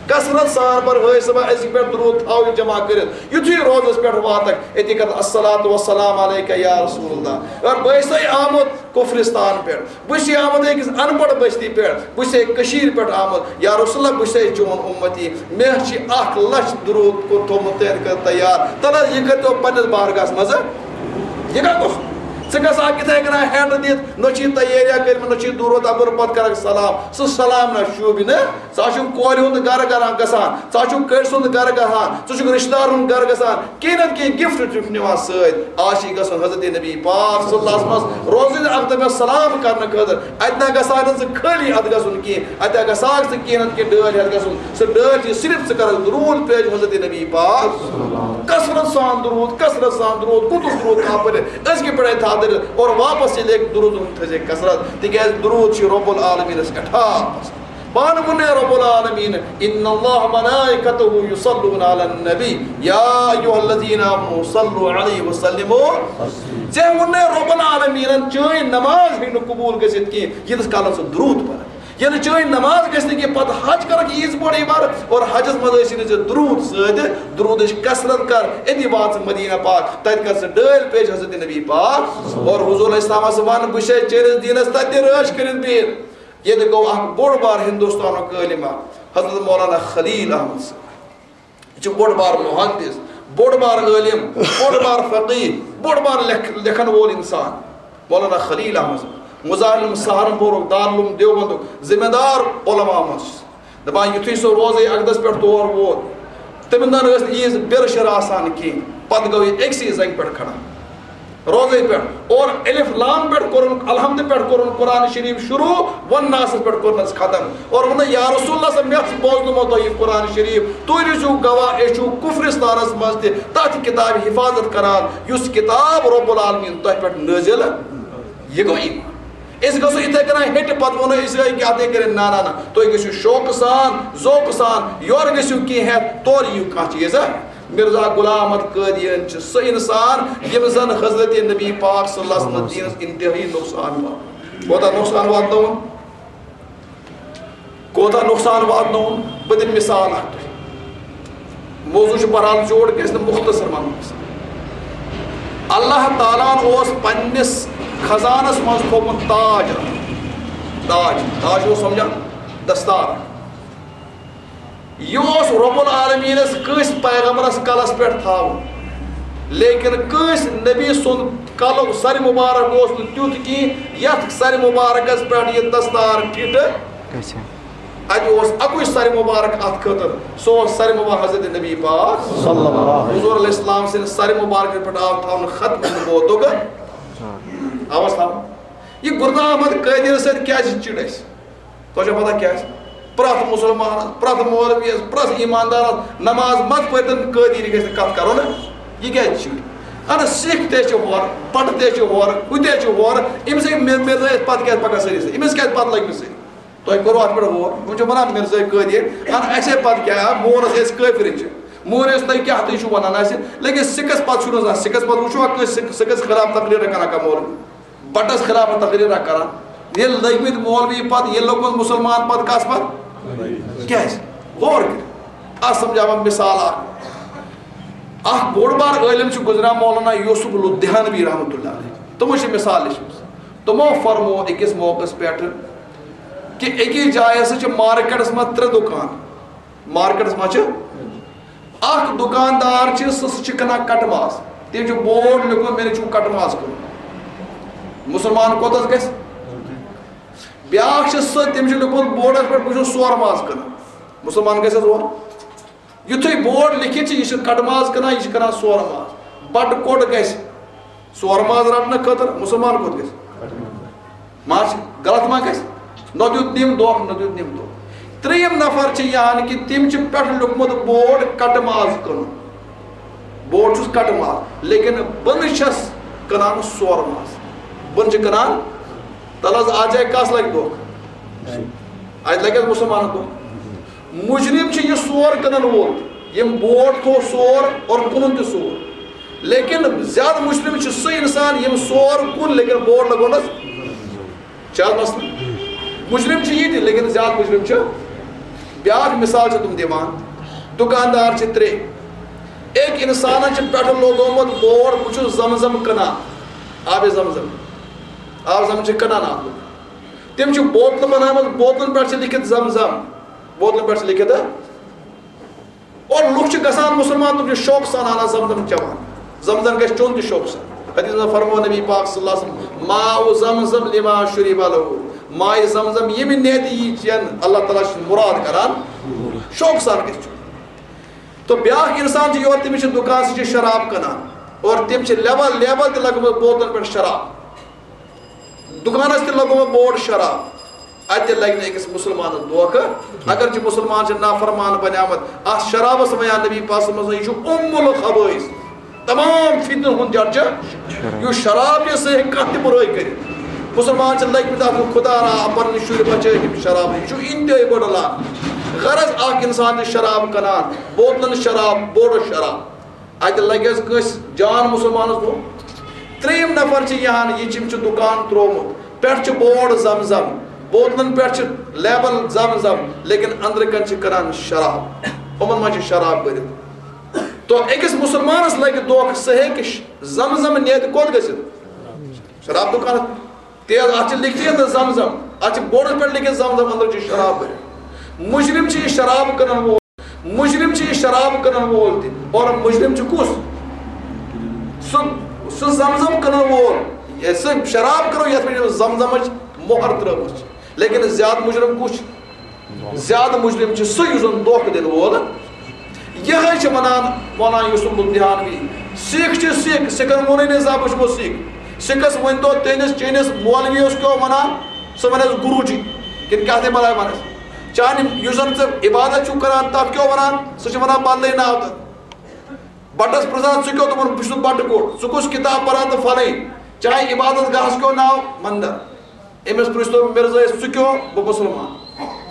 کثرت سان پَر حٲج صٲبہ أزکہِ پٮ۪ٹھ درود، تھاو یہِ جمع کٔرِتھ۔ یُتھُے روزَس پٮ۪ٹھ واتَکھ، أتی کَتھ الصلاۃ والسلام علیک یا رسول اللہ۔ اگر بہٕ ٲسَے آمُت کُفرِستان پٮ۪ٹھ، بہٕ چھُس آمُت أکِس اَن پَڑھ بستی پٮ۪ٹھ، بہٕ چھُسے کٔشیٖرِ پٮ۪ٹھ آمُت۔ یا رسول اللہ، بہٕ چھُسے چون اُمتی، مےٚ چھِ اَکھ لَچھ درود کوٚر تھوٚومُت تیار کٔرِتھ تیار۔ تَلہٕ حظ، یہِ کٔرۍتو پنٛنِس بارگاہَس منٛز۔ یہِ کَتھ اوس؟ ژٕ گژھان یِتھَے کٔنۍ ہٮ۪نٛڈ دِتھ، نہ چھِ تیٲریا کٔرمٕژ، نہ چھِ درود اَپٲرۍ پَتہٕ کَرَکھ سلام۔ سُہ سلام نہ شوٗبہِ نہٕ۔ ژٕ چھُکھ کورِ ہُنٛد گَرٕ گَران گژھان، ژٕ چھُکھ کٔرۍ سُنٛد گَرٕ گژھان، ژٕ چھُکھ رِشتہٕ دار ہُنٛد گَرٕ گژھان۔ کینٛہہ نتہٕ کینٛہہ gift چھُکھ نِوان سۭتۍ۔ آز چھِ گژھُن حضرت نبی پاک صلی اللہ علیہ وسلمس روزٕنۍ اکھ دۄہ سلام کرنہٕ خٲطرٕ۔ اتہِ نہ گژھان ژٕ خٲلی اتھ گژھُن کینٛہہ، اتہِ گژھان ژٕ کینٛہہ نتہٕ کینٛہہ ڈٲلۍ ہٮ۪تھ گژھُن۔ سُہ ڈٲلۍ چھِ صرف ژٕ کرکھ درود پیش حضرت نبی پاک۔ کثرت سان درود، کثرت سان درود، کُتُر درود تھاو پٔرِتھ۔ أزکہِ پٮ۪ٹھے تھاو دٔرِتھ اور واپس ییٚلہِ اکہِ درود ہُنٛد تھٲیزِ کثرت، تِکیازِ درود چھِ رب العالمینس اٹھاپ آسان۔ پانہٕ ووٚن رب العالمین، ان اللہ ملائکتہ یصلون علی النبی، یا ایھا الذین آمنوا صلوا علیہ وسلموا۔ ژےٚ ووٚن رب العالمینن چٲنۍ نماز ہیٚکہِ نہٕ قبول گٔژھِتھ کینٛہہ، ییٖتِس کالس ژٕ درود پرکھ۔ ییٚلہِ چٲنۍ نماز گژھِ نہٕ کینٛہہ، پتہٕ حج کرکھ ییٖژ بٔڑ عبادت، اور حجس منٛز ٲسی نہٕ ژےٚ درود سۭتۍ، درودٕچ کثرت کر، أتی وات ژٕ مدینہ پاک، تتہِ کر ژٕ ڈٲلۍ پیش حضرت نبی پاک۔ اور حضور علیہ السلامس وَن، بہٕ چھُسے چٲنِس دیٖنس تتہِ تہِ رٲچھ کٔرِتھ بِہِتھ۔ ییٚتہِ گوٚو اکھ بوٚڑ بار ہندوستانُک عٲلِم اکھ، حضرت مولانا خلیل احمد صٲب۔ یہِ چھُ بوٚڑ بار محدث، بوٚڑ بار عٲلِم، بوٚڑ بار فقیٖر، بوٚڑ بار لیکھ-، لیکھن وول اِنسان، مولانا خلیل احمد، مظاہر العلوم سہارنپورُک، دارالعلوم دیوبندُک ذمہ دار علماء منٛز چھُس۔ دَپان، یُتھُے سُہ روزے اقدس پٮ۪ٹھ تور ووت، تٔمِس نہٕ ٲس نہٕ عیٖز بِرٕ شِرٕ آسان کِہیٖنۍ، پَتہٕ گوٚو یہِ أکسٕے زنٛگہِ پٮ۪ٹھ کھڑا۔ روزے پٮ۪ٹھ اور الف لام پٮ۪ٹھ کوٚرُن، الحمد پٮ۪ٹھ کوٚرُن قرآن شریف شروع، والناس پٮ۪ٹھ کوٚرنَس ختم۔ اور ووٚن، یا رسول اللہ صلی اللہ علیہ وسلم، مےٚ چھُ بوزنومُت تۄہہِ یہِ قرآن شریف، تُہۍ روٗزِو گواہ، أسۍ چھِو کُفرِستانَس منٛز تہِ تَتھ کِتابہِ حفاظت کران، یُس کِتاب رب العالمین تۄہہِ پٮ۪ٹھ نٲزِل، یہِ گوٚو ایمان۔ أسۍ گژھو یِتھَے کٔنۍ ہیٚٹہِ، پَتہٕ وَنو أسۍ، ہے، کیٛاہ تہِ کٔرِتھ؟ نہ، نہ، نہ، تُہۍ گٔژھِو شوقہٕ سان، ذوقہٕ سان، یورٕ گٔژھِو کینٛہہ ہٮ۪تھ، تورٕ یِیِو کانٛہہ چیٖز، ہہ؟ مرزا غلام احمد قٲدیٲنۍ چھِ سُہ اِنسان ییٚمۍ زَن حضرت نبی پاک صلی اللہ علیہ وسلم دیٖنَس انتہٲیی نۄقصان واتنوو۔ کوتاہ نۄقصان واتنووُن؟ کوتاہ نۄقصان واتنووُن؟ بہٕ دِمہٕ مِثال اَکھ تۄہہِ۔ موضوع چھُ بہرحال زیوٗٹھ، گژھِ نہٕ مُختصر وَنُن۔ اللہ تعالیٰ ہَن اوس پنٛنِس خزانَس منٛز تھوٚومُت تاج اَکھ۔ تاج، تاج اوس سَمجھان؟ دستار۔ یہِ اوس رب العالمینس کٲنٛسہِ پیغمبرس کلس پٮ۪ٹھ تھاوُن، لیکن کٲنٛسہِ نبی سُنٛد کلُک سر مبارک اوس نہٕ تیُتھ کینٛہہ یتھ سر مبارکس پٮ۪ٹھ یہِ دستار فِٹ۔ گژھِ۔ اتہِ اوس اکُے سر مبارک اتھ خٲطرٕ، سُہ اوس سر مبارک حضرت نبی پاک صلی اللہ علیہ وسلم۔ حضور علیہ السلام سٕنٛدِ سر مبارکس پٮ۪ٹھ آو تھاونہٕ ختم نبوتُک۔ آواز تھاو۔ یہِ گردہ احمد قٲدیٲنۍ سۭتۍ کیازِ چِڑ اَسہِ؟ تۄہہِ چھو پتہ کیٛازِ؟ پرٛٮ۪تھ مُسلمانس، پرٛٮ۪تھ مولویس، پرٛٮ۪تھ ایٖماندارس نماز مت پٔرۍتن قٲدیٲنی گژھِ نہٕ کتھ کرو نہ۔ یہِ کیٛازِ چھُ؟ اَدٕ سِکھ تہِ چھِ ہورٕ، پٹہٕ تہِ چھِ ہورٕ، ہُہ تہِ چھِ ہورٕ۔ أمِس ہے مِر-، مِرزٲیِس پتہٕ کیٛازِ پکان سٲری سۭتۍ؟ أمِس کیٛازِ پتہٕ لٔگۍ مٕتۍ سٲری؟ تۄہہِ کوٚروٕ اَتھ پٮ۪ٹھ غور؟ یِم چھِ وَنان مِرزٲے قٲدیٲنۍ، اَدٕ اَسے پتہٕ کیٛاہ؟ مونس أسۍ کٲفِر چھِ۔ مون أسۍ تۄہہِ کیٛاہ تُہۍ چھِو وَنان اَسہِ؟ لیکن سِکس پتہٕ چھُو نہٕ زانٛہہ، سِکس پتہٕ وٕچھوا کٲنٛسہِ سِکھ-، سِکس خلاف تقریٖرا کران کانٛہہ مولوی؟ بٹس خلاف تقریرا کران۔ ییٚلہِ لٔگۍ مٕتۍ مولوی پتہٕ، ییٚلہِ لوٚگمُت مُسلمان پتہٕ کس پتہٕ؟ کیٛازِ؟ غور کٔرِو۔ اتھ سمجھاوان مثال اکھ۔ اکھ بوٚڑ بار عٲلِم چھُ گُزریٛومُت مولانا یوسف الدہلوی رحمتہ اللہ علیہ۔ تِمو چھِ مثال لیچھمٕژ۔ تِمو فرموو أکِس موقعس پٮ۪ٹھ کہِ أکِس جایہِ ہسا چھِ مارکیٹس منٛز ترٛےٚ دُکان۔ مارکیٹس منٛز چھِ اکھ دُکاندار چھِ، سُہ، سُہ چھُ کٕنان کٹہٕ ماز۔ تٔمۍ چھُ بورڈ لیوٗکھمُت، "مےٚ نِش چھُو کٹہٕ ماز کٕنُن۔" مُسلمان کوٚت حظ گژھِ؟ بیٛاکھ چھُ سُہ، تٔمۍ چھُ لیوٗکھمُت بورڈس پٮ۪ٹھ، "بہٕ چھُس سورٕ ماز کٕنان۔" مُسلمان گژھِ حظ اور؟ یُتھُے بورڈ لیکھِتھ چھِ، یہِ چھُ کٹہٕ ماز کٕنان، یہِ چھُ کٕنان سورٕ ماز۔ بٹہٕ کوٚٹ گژھِ؟ سورٕ ماز رٹنہٕ خٲطرٕ مُسلمان کوٚت گژھِ؟ ما چھِ غلط ما گژھِ؟ نہ دیُت نِم دھوکہٕ، نہ دیُت نِم دھوکہٕ۔ ترٛیٚیِم نفر چھِ یہِ ہن کہِ تٔمۍ چھِ پٮ۪ٹھٕ لیوٗکھمُت بورڈ کٹہٕ ماز کٕنُن۔ بورڈ چھُس کٹہٕ ماز، لیکن بۄنہٕ چھَس کٕنان سورٕ ماز۔ بۄنہٕ چھِ کٕنان، تَلہٕ حظ اَتھ جایہِ کَس لَگہِ دھوکہٕ؟ اَتہِ لَگہِ حظ مُسلمانَس دھوکہٕ؟ مُجرِم چھُ یہِ سور کٕنَن وول، ییٚمۍ بورڈ تھوٚو سور اور کٕنُن تہِ سور۔ لیکن زیادٕ مُجرِم چھُ سُہ اِنسان ییٚمۍ سور کُن لیکن بورڈ لگوونَس۔ چھِ حظ مسلہٕ؟ مُجرِم چھُ یہِ تہِ، لیکن زیادٕ مُجرِم چھُ بیٛاکھ۔ مثال چھِ تِم دِوان، دُکاندار چھِ ترٛےٚ۔ أکۍ اِنسانَن چھِ پٮ۪ٹھٕ لگومُت بورڈ، "بہٕ چھُس زمزم کٕنان، آبِ زمزم۔" آب زمزم چھِ کٕنان اَتھ لوٚگ۔ تٔمۍ چھِ بوتلہٕ بناومٕژ، بوتلَن پٮ۪ٹھ چھِ لیکھِتھ زمزم، بوتلَن پٮ۪ٹھ چھِ لیکھِتھ۔ اور لُکھ چھِ گژھان مُسلمان، تِم چھِ شوقہٕ سان اَنان زمزم چٮ۪وان۔ زمزم گژھِ چیوٚن تہِ شوقہٕ سان۔ حدیث منٛز فرموو نبی پاک صلی اللہ علیہ وسلم، "ماء زمزم لما شرب له۔" ماء زمزم ییٚمہِ نیتہِ یی چٮ۪ن، اللہ تعالیٰ چھُ مراد کران، شوقہٕ سان گژھِ چیوٚن۔ تہٕ بیٛاکھ اِنسان چھُ یورٕ، تٔمِس چھِ دُکانَس چھِ شراب کٕنان اور تٔمۍ چھِ لیبل، لیبل تہِ لگٲومٕژ بوتلَن پٮ۪ٹھ شراب۔ دُکانَس تہِ لگومُت بورڈ شراب۔ اَتہِ لگہِ نہٕ أکِس مُسلمانَس دھوکہٕ۔ اگرچہِ مُسلمان چھِ نافرمان بنیومُت، اَتھ شرابَس وَنان نبی پاک صلی اللہ علیہ وسلم، یہِ چھُ اُمُ الخبٲیِث۔ تمام فتنہٕ ہُنٛد جڑ چھُ۔ یُس شراب چھُ، سُہ ہیٚکہِ کانٛہہ تہِ بُرٲے کٔرِتھ۔ مُسلمان چھِ لٔگۍ مٕتۍ اَتھ، خدا را، پَنٕنۍ شُرۍ بچٲیِتھ ییٚمہِ شرابہٕ نِش۔ یہِ چھُ اِنتہٲیی بٔڑ لعنت۔ غرض، اَکھ اِنسان چھُ شراب کٕنان، بوتلَن شراب، بورڈَس شراب۔ اَتہِ لگہِ حظ کٲنٛسہِ جان مُسلمانَس دھوکہٕ؟ ترٛیٚیِم نفر چھِ یہِ ہن، یہِ چھِ، أمۍ چھُ دُکان ترٛوومُت، پٮ۪ٹھ چھُ بورڈ زمزم، بوتلَن پٮ۪ٹھ چھِ لیبل زمزم، لیکن أنٛدرٕ کَنہِ چھِ کٕنان شراب۔ یِمَن منٛز چھِ شراب بٔرِتھ۔ تو أکِس مُسلمانَس لگہِ دھوکہٕ، سُہ ہیٚکہِ ش-، زمزم نِتھ کوٚت گٔژھِتھ؟ شراب دُکانَس۔ تیز، اَتھ چھِ لیکھِتھ زمزم، اَتھ چھِ بورڈَس پٮ۪ٹھ لیکھِتھ زمزم، أنٛدرٕ چھِ شراب بٔرِتھ۔ مُجرِم چھِ یہِ شراب کٕنَن وول۔ مجرم چھُ یہِ شراب کٕنن وول تہِ، اور مجرم چھُ کُس؟ سُہ، سُہ زمزم کٕنن وول، یہِ سُہ شراب کٕنو یتھ پٮ۪ٹھ زمزمٕچ مۄہر ترٲومٕژ چھِ۔ لیکن زیادٕ مجرم کُس چھُ؟ زیادٕ مجرم چھُ سُہ یُس زن دھوکہٕ دِنہٕ وول۔ یِہوٚے چھِ ونان مولانا یوسف الدہلوی، سِکھ چھِ سِکھ، سِکھن ووٚنُے نہٕ زانٛہہ بہٕ چھُس سِکھ۔ سِکھس ؤنۍ تو تٔمِس چٲنِس مولویس کیٛاہ ونان، سُہ ونٮ۪س گُروٗ جی، کِنہٕ کیٛاہ تہِ بلاے ونٮ۪س۔ چانہِ یُس زن ژٕ عبادت چھُکھ کران، تتھ کیٛاہ ونان؟ سُہ چھُ ونان بدلٕے ناو تتھ۔ بٹس پرژھان، ژٕ کیٛاہ؟ دوٚپُن، بہٕ چھُس بٹہٕ کوٚٹ۔ ژٕ کُس کتاب پران تہٕ فلٲنۍ؟ چاہے عبادت گاہس کیٛاہ ناو؟ مندر۔ أمِس پرٛژھ تو مرزٲیِس، ژٕ کیٛاہ؟ بہٕ مُسلمان۔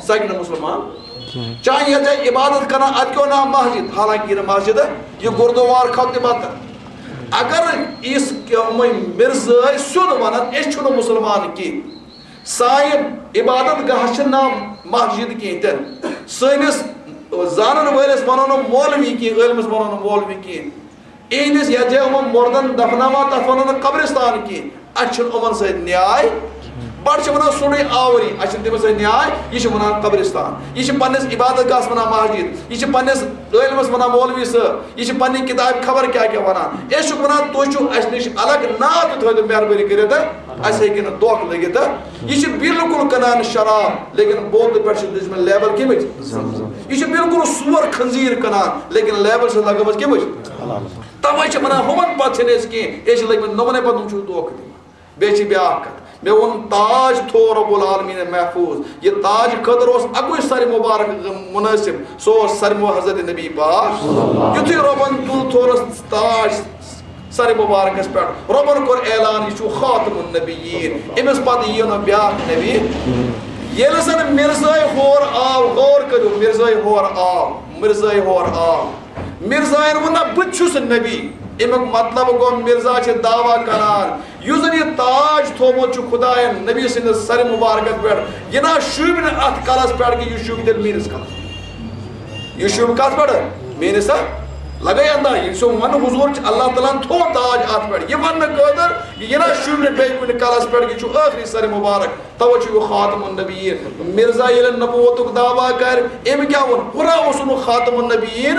سُہ ہیٚکہِ نہٕ مُسلمان۔ چاہے یتھ جایہِ عبادت کران، اتھ کیٛاہ ناو؟ مسجد۔ حالانکہ یہِ نہٕ مسجد، یہِ گُردوار کھۄتہٕ تہِ بدتر۔ اگر یِس کیٛاہ یِمے مرزٲے سیوٚد ونن، أسۍ چھِنہٕ مُسلمان کینٛہہ۔ سانہِ عبادت گاہ چھِ نہٕ مسجد کینٛہہ تہِ نہٕ۔ سٲنِس زانن وٲلِس ونو نہٕ مولوی کینٛہہ، عٲلمس ونو نہٕ مولوی کینٛہہ۔ اِہِنٛدِس یَتھ جایہِ یِمَن مُردَن دفناوان، تَتھ وَنو نہٕ قبرستان کینٛہہ۔ اَسہِ چھُنہٕ یِمَن سۭتۍ نیاے۔ بَڑٕ چھِ وَنان سورُے آوری، اَسہِ چھِنہٕ تِمَن سۭتۍ نیاے۔ یہِ چھِ وَنان قبرستان۔ یہِ چھِ پنٛنِس عبادت گاہَس وَنان مسجد۔ یہِ چھِ پنٛنِس عٲلمَس وَنان مولوی صٲب۔ یہِ چھِ پنٛنہِ کِتابہِ خبر کیٛاہ کیٛاہ وَنان۔ أسۍ چھِکھ وَنان، تُہۍ چھِو اَسہِ نِش الگ، ناو تہِ تھٲوِو مہربٲنی کٔرِتھ۔ اَسہِ ہیٚکہِ نہٕ دھوکہٕ لٔگِتھ۔ یہِ چھِ بالکل کٕنان شراب، لیکن بوتلہِ پٮ۪ٹھ چھِ دِژمٕژ لیبل کَمِچ؟ زمزم۔ یہِ چھِ بالکل سور خنزیر کٕنان، لیکن لیبل چھِ لگٲومٕژ کَمِچ؟ توے چھِ ونان، ہُمن پتہٕ چھِنہٕ أسۍ کینٛہہ، أسۍ چھِ لٔگۍ مٕتۍ نوٚمنے پتہٕ، یِم چھِ دھوکہٕ دِوان۔ بیٚیہِ چھِ بیٛاکھ کتھ، مےٚ ووٚن، تاج تھوو رب العالمین محفوظ۔ یہِ تاج خٲطرٕ اوس اکُے سر مبارک منٲسب، سُہ اوس سر مو-، حضرت نبی پاک۔ یُتھُے رۄبن تُل تھورس تاج سر مبارکس پٮ۪ٹھ، رۄبن کوٚر اعلان، یہِ چھُ خاتم النبیین، أمِس پتہٕ یِیہِ نہٕ بیٛاکھ نبی۔ ییٚلہِ زن مرزٲے ہور آو، غور کٔرِو، مرزٲے ہور آو، مرزٲے ہور آو۔ مرزاین ووٚن، نہ، بہٕ تہِ چھُس نبی۔ اَمیُک مطلب گوٚو، مرزا چھِ دعویٰ کران، یُس زن یہِ تاج تھوومُت چھُ خداین نبی سٕنٛدِس سرِ مبارکس پٮ۪ٹھ، یہِ نہ شوٗبہِ نہٕ اتھ کلس پٮ۪ٹھ کہِ یہِ شوٗبہِ تیٚلہِ میٲنِس کلس۔ یہِ شوٗبہِ کتھ پٮ۪ٹھ؟ میٲنِس، ہا؟ لگے انداز، ییٚلہِ سُہ ون حضور چھُ، اللہ تعالیٰ ہن تھوو تاج اتھ پٮ۪ٹھ۔ یہِ وننہٕ خٲطرٕ، یہِ نہ شوٗبہِ نہٕ بیٚیہِ کُنہِ کلس پٮ۪ٹھ، یہِ چھُ ٲخری سرِ مبارک۔ توے چھُ یہِ خاتم النبیین۔ مرزا ییٚلہِ نبوتُک دعویٰ کرِ، أمۍ کیٛاہ ووٚن؟ ہُرا اوسُن نہٕ خاتم النبیین،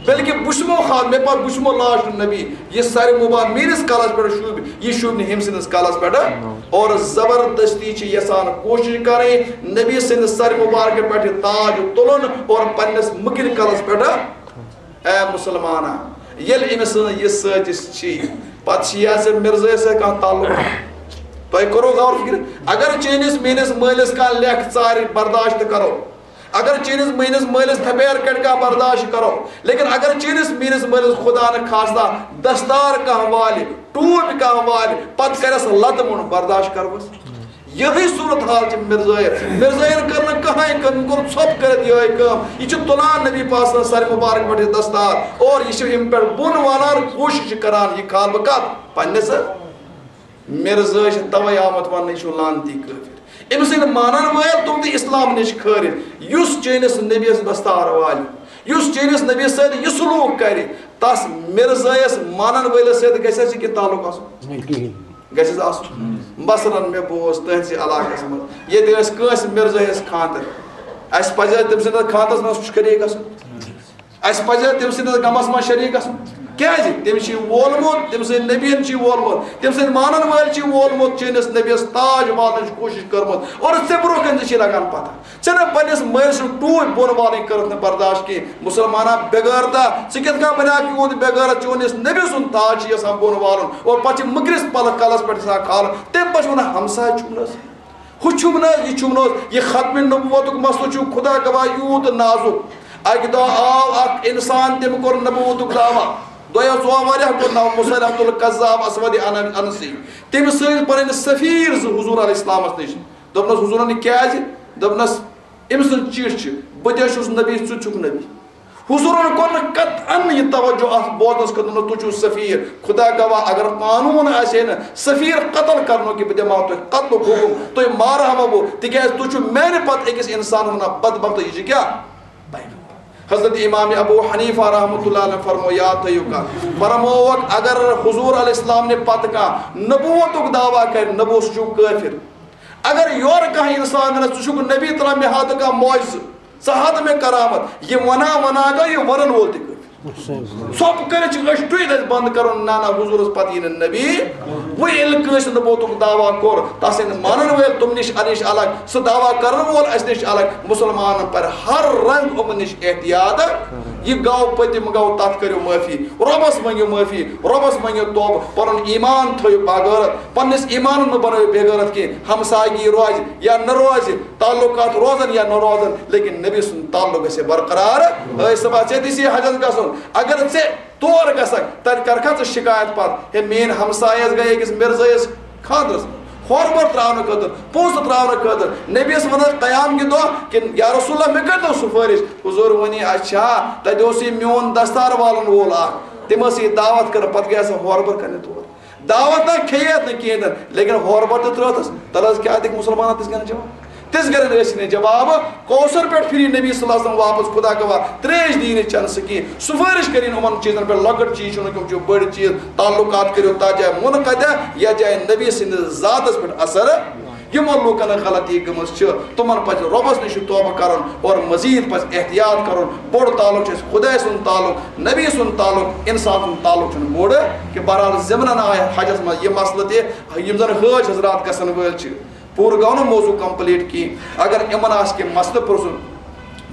بلکہ بہٕ چھُسمو خاتم، مےٚ پتہٕ بہٕ چھُسمو لاسٹ نبی۔ یہِ سرِ مبارک میٲنِس کلس پٮ۪ٹھ شوٗبہِ، یہِ شوٗبہِ نہٕ ہُمۍ سٕنٛدِس کلس پٮ۪ٹھ۔ اور زبردستی چھِ یژھان کوٗشش کرٕنۍ نبی سٕنٛدِس سرِ مبارکہٕ پٮ۪ٹھ یہِ تاج تُلُن اور پننِس مٔکرِ کلس پٮ۪ٹھ۔ اے مسلمانہ، ییٚلہِ أمِس سٕنٛز یہِ سٲزش چھِ، پتہٕ چھِ یہِ زِ مرزٲیس سۭتۍ کانٛہہ تعلق۔ تۄہہِ کوٚروٕ غور فکر؟ اگر چٲنِس میٲنِس مٲلِس کانٛہہ لیکھ ژارِ، برداشت کرو۔ اگر چٲنِس میٲنِس مٲلِس تھپیر کڑِ، کانٛہہ برداشت کرو۔ لیکن اگر چٲنِس میٲنِس مٲلِس خدا نہٕ خاصہ دستار کانٛہہ والہِ، ٹوپۍ کانٛہہ والہِ، پتہٕ کرٮ۪س لتہٕ مُنڈ، برداشت کروس؟ یِہے صورت حال چھِ مرزٲیَن۔ مرزٲیَن کٔر نہٕ کٕہٕنۍ کٲم، أمۍ کوٚر ژھۄپ کٔرِتھ یِہے کٲم۔ یہِ چھُ تُلان نبی پاک سٕنٛز سرِ مبارک پٮ۪ٹھ یہِ دستار اور یہِ چھُ أمۍ پٮ۪ٹھ بۄن والان، کوٗشِش چھِ کران یہِ کھالہٕ بہٕ کَتھ؟ پننِس۔ مرزٲے چھِ توے آمُت وننہٕ، یہِ چھُ لعنتی کٲفِر۔ أمۍ سٕنٛدۍ مانن وٲلۍ تِم تہِ اِسلام نِش کھٲرِتھ۔ یُس چٲنِس نبیَس دستار والہِ، یُس چٲنِس نبیَس سۭتۍ یہِ سلوک کرِ، تس مرزٲیَس مانن وٲلِس سۭتۍ گژھِ اَسہِ کینٛہہ تعلق آسُن؟ گژھِ حظ آسُن؟ مثلاً، مےٚ بوز تُہنٛدسٕے علاقس منٛز، ییٚتہِ ٲسۍ کٲنٛسہِ مرزٲیَس خانٛدر، اَسہِ پزِ تٔمۍ سٕنٛدِس خانٛدرس منٛز شریٖک گژھُن؟ اَسہِ پزِ تٔمۍ سٕنٛدِس غمس منٛز شریٖک گژھُن؟ کیٛازِ؟ تٔمۍ چھُ یہِ وولمُت، تٔمۍ سٕنٛدۍ نبیَن چھُ یہِ وولمُت، تٔمۍ سٕنٛدۍ مانن وٲلۍ چھِ یہِ وولمُت، چٲنِس نبیَس تاج والنٕچ کوٗشِش کٔرمٕژ، اور ژےٚ برونٛہہ کنہِ تہِ چھِ لگان پتہ۔ ژےٚ نہ پننِس مٲلۍ سٕنٛز ٹوٗپۍ بۄن والٕنۍ کٔرٕتھ نہٕ برداشت کینٛہہ۔ مُسلمانا بے غٲرتا، ژٕ کِتھ کٔنۍ بنیاکھ یوٗت بے غٲرت؟ چون یُس نبی سُنٛد تاج چھُ یَژھان بۄن والُن اور پتہٕ چھِ مٔکرِس پلس کلس پٮ۪ٹھ یَژھان کھالُن۔ تَمہِ پتہٕ چھُ وَنان، ہمساے چھُم نہٕ حظ، ہُہ چھُم نہٕ حظ، یہِ چھُم نہٕ حظ۔ یہِ ختمِ نبوتُک مسلہٕ چھُ خدا گواہ یوٗت نازُک۔ اکہِ دۄہ آو اکھ انسان، تٔمۍ کوٚر نبوتُک دعویٰ۔ دۄیو ژۄو ؤریو کوٚر ناو مسیلمۃ الکذاب اسود ان-، انسی۔ تٔمۍ سٕنٛدۍ پنٕنۍ سفیر زٕ حضور علیہ السلامس نِش۔ دوٚپنس، حضوٗرن، یہِ کیٛازِ؟ دوٚپنس، أمۍ سٕنٛز چِٹھۍ چھِ، بہٕ تہِ چھُس نبی، ژٕ تہِ چھُکھ نبی۔ حضوٗرن کوٚر نہٕ قطعاً یہِ توجہ اتھ بوزنس خٲطرٕ، دوٚپنس، تُہۍ چھِو سفیر، خدا گواہ اگر قانوٗن آسہِ ہے نہٕ سفیر قتل کرنُک، کہِ بہٕ دِمہٕ ہاو تۄہہِ قتلُک حُکم، تُہۍ مارہاوا بہٕ، تِکیازِ تُہۍ چھِو میانہِ پتہٕ أکِس انسانس ونان بدبخت، یہِ چھِ کیٛاہ؟ حضرت امام ابو حنیفہ رحمۃ اللہ علیہ فرمو، یاد تھٲیِو کتھ، فرمووکھ، اگر حضور علیہ السلام نہِ پتہٕ کانٛہہ نبوتُک دعویٰ کرِ، نبوت، سُہ چھُ کٲفر۔ اگر یورٕ کانٛہہ انسان ونس، ژٕ چھُکھ نبی، ترا مےٚ ہاو تہٕ کانٛہہ معجزٕ، ژٕ ہاو مےٚ کرامت۔ یہِ وَنان وَنان گوٚو یہِ وَنَن وول تہِ کٲفِر۔ ژھۄپہٕ کٔرِتھ چھِ أچھ ٹُہِتھ اَسہِ بنٛد کَرُن، نہ، نہ، حضوٗرَس پَتہٕ یی نہٕ نبی۔ وۄنۍ ییٚلہِ کٲنٛسہِ نبوتُک دعویٰ کوٚر، تَس یِن مانَن وٲلۍ تِم نِش، اَسہِ نِش الگ، سُہ دعویٰ کَرَن وول اَسہِ نِش الگ۔ مُسلمانَن پَرِ ہر رنٛگ یِمَن نِش احتیاط۔ یہِ گوٚو پٔتِم، گوٚو، تَتھ کٔرِو معٲفی۔ رۄبَس مٔنٛگِو معٲفی، رۄبَس مٔنٛگِو توبہٕ، پَنُن ایمان تھٲیِو باغٲرت، پنٛنِس ایمانَس مہٕ بَنٲیِو بے غٲرت کینٛہہ۔ ہمسایگی روزِ یا نہ روزِ، تعلقات روزن یا نہ روزن، لیکن نبی سُنٛد تعلق گژھِ برقرار۔ أے صٲبا، ژےٚ تہِ چھِ حجس گژھُن، اگر ژےٚ تور گژھکھ، تتہِ کرکھا ژٕ شکایت پتہٕ، ہے، میٲنۍ ہمسایہِ حظ گٔے أکِس مرزٲیِس خانٛدرس منٛز، ہورٕ بۄر تراونہٕ خٲطرٕ، پونٛسہٕ تراونہٕ خٲطرٕ۔ نبیس ونکھ قیام کہِ دۄہ کہِ، یا رسول اللہ، مےٚ کٔرۍتو سفٲرِش۔ حضور ونی، اچھا، تتہِ اوس یہِ میون دستار والن وول اکھ، تٔمۍ ٲس یہِ دعوت کٔرمٕژ، پتہٕ گٔے سۄ ہورٕ بۄر کرنہِ تور۔ دعوت نہ کھیٚیتھ نہٕ کِہیٖنۍ تہِ، لیکن ہورٕ بۄر تہِ ترٛٲوتھس۔ تَلہٕ حظ کیٛاہ دِکھ مُسلمانَن تِژھ گٔنۍ جواب؟ تِژھ گٔنۍ ٲسۍ نہٕ جواب۔ کوثر پٮ۪ٹھ پھِری نبی صلی اللہ علیہ وسلم واپس، خدا گواہ، ترٛیش دی نہٕ چٮ۪نہٕ سُہ کِہیٖنۍ۔ سُفٲرِش کٔرِن یِمَن چیٖزَن پٮ۪ٹھ، لۄکٕٹۍ چیٖز چھِنہٕ تِم چھِ بٔڑۍ چیٖز۔ تعلقات کٔرِو تَتھ جایہِ منقطع، یَتھ جایہِ نبی سٕنٛدِس ذاتَس پٮ۪ٹھ اثر۔ یِمن لوٗکن غلطی گٔمٕژ چھِ، تِمن پزِ رۄبس نِش توبہٕ کرُن اور مزید پزِ احتیاط کرُن۔ بوٚڑ تعلق چھُ اَسہِ خدایہِ سُنٛد تعلق، نبی سُنٛد تعلق، انسان سُنٛد تعلق چھُنہٕ بوٚڑ کینٛہہ۔ بہرحال، ضمنن آیہِ حجس منٛز یہِ مسلہٕ تہِ، یِم زن حٲج حضرات گژھن وٲلۍ چھِ۔ پوٗرٕ گوٚو نہٕ موضوع complete کینٛہہ۔ اگر یِمن آسہِ کینٛہہ مسلہٕ پرٛژھُن،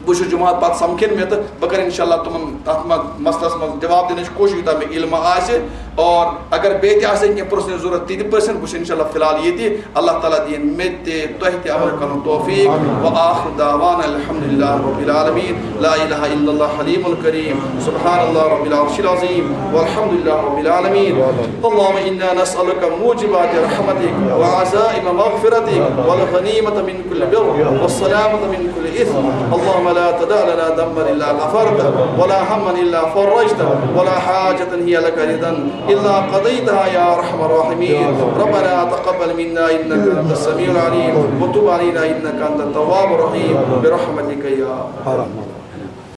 بہٕ چھُس جمعہ پتہٕ سمکھن مےٚ تہٕ بہٕ کرٕ انشاءاللہ تِمن تتھ منٛز مسلس منٛز جواب دِنٕچ کوٗشش یوٗتاہ مےٚ علم آسہِ۔ اور اگر بیٚیہِ تہِ آسہِ کینٛہہ پرژھنٕچ ضروٗرت تہِ تہِ پرژھن، بہٕ چھُس انشاءاللہ فی الحال ییٚتی۔ اللہ تعالیٰ دِیِن مےٚ تہِ تۄہہِ تہِ عمل کرنُک توفیق۔ وآخر دعوانا الحمد للہ رب العالمین۔ لا الہ الا اللہ حلیم الکریم۔ سبحان اللہ رب العرش العظیم۔ والحمد للہ رب العالمین۔ اللهم انا نسألك موجبات رحمتك وعزائم مغفرتك والغنیمة من كل بر والسلامة من كل إثم. اللهم لا تدع لنا ذنبا إلا غفرته ولا هما إلا فرجته ولا حاجة هي لك رضا إلا قضيتها يا أرحم الراحمين. ربنا تقبل منا إنك أنت السميع العليم وتب علينا إنك أنت التواب الرحيم برحمتك يا أرحم الراحمين.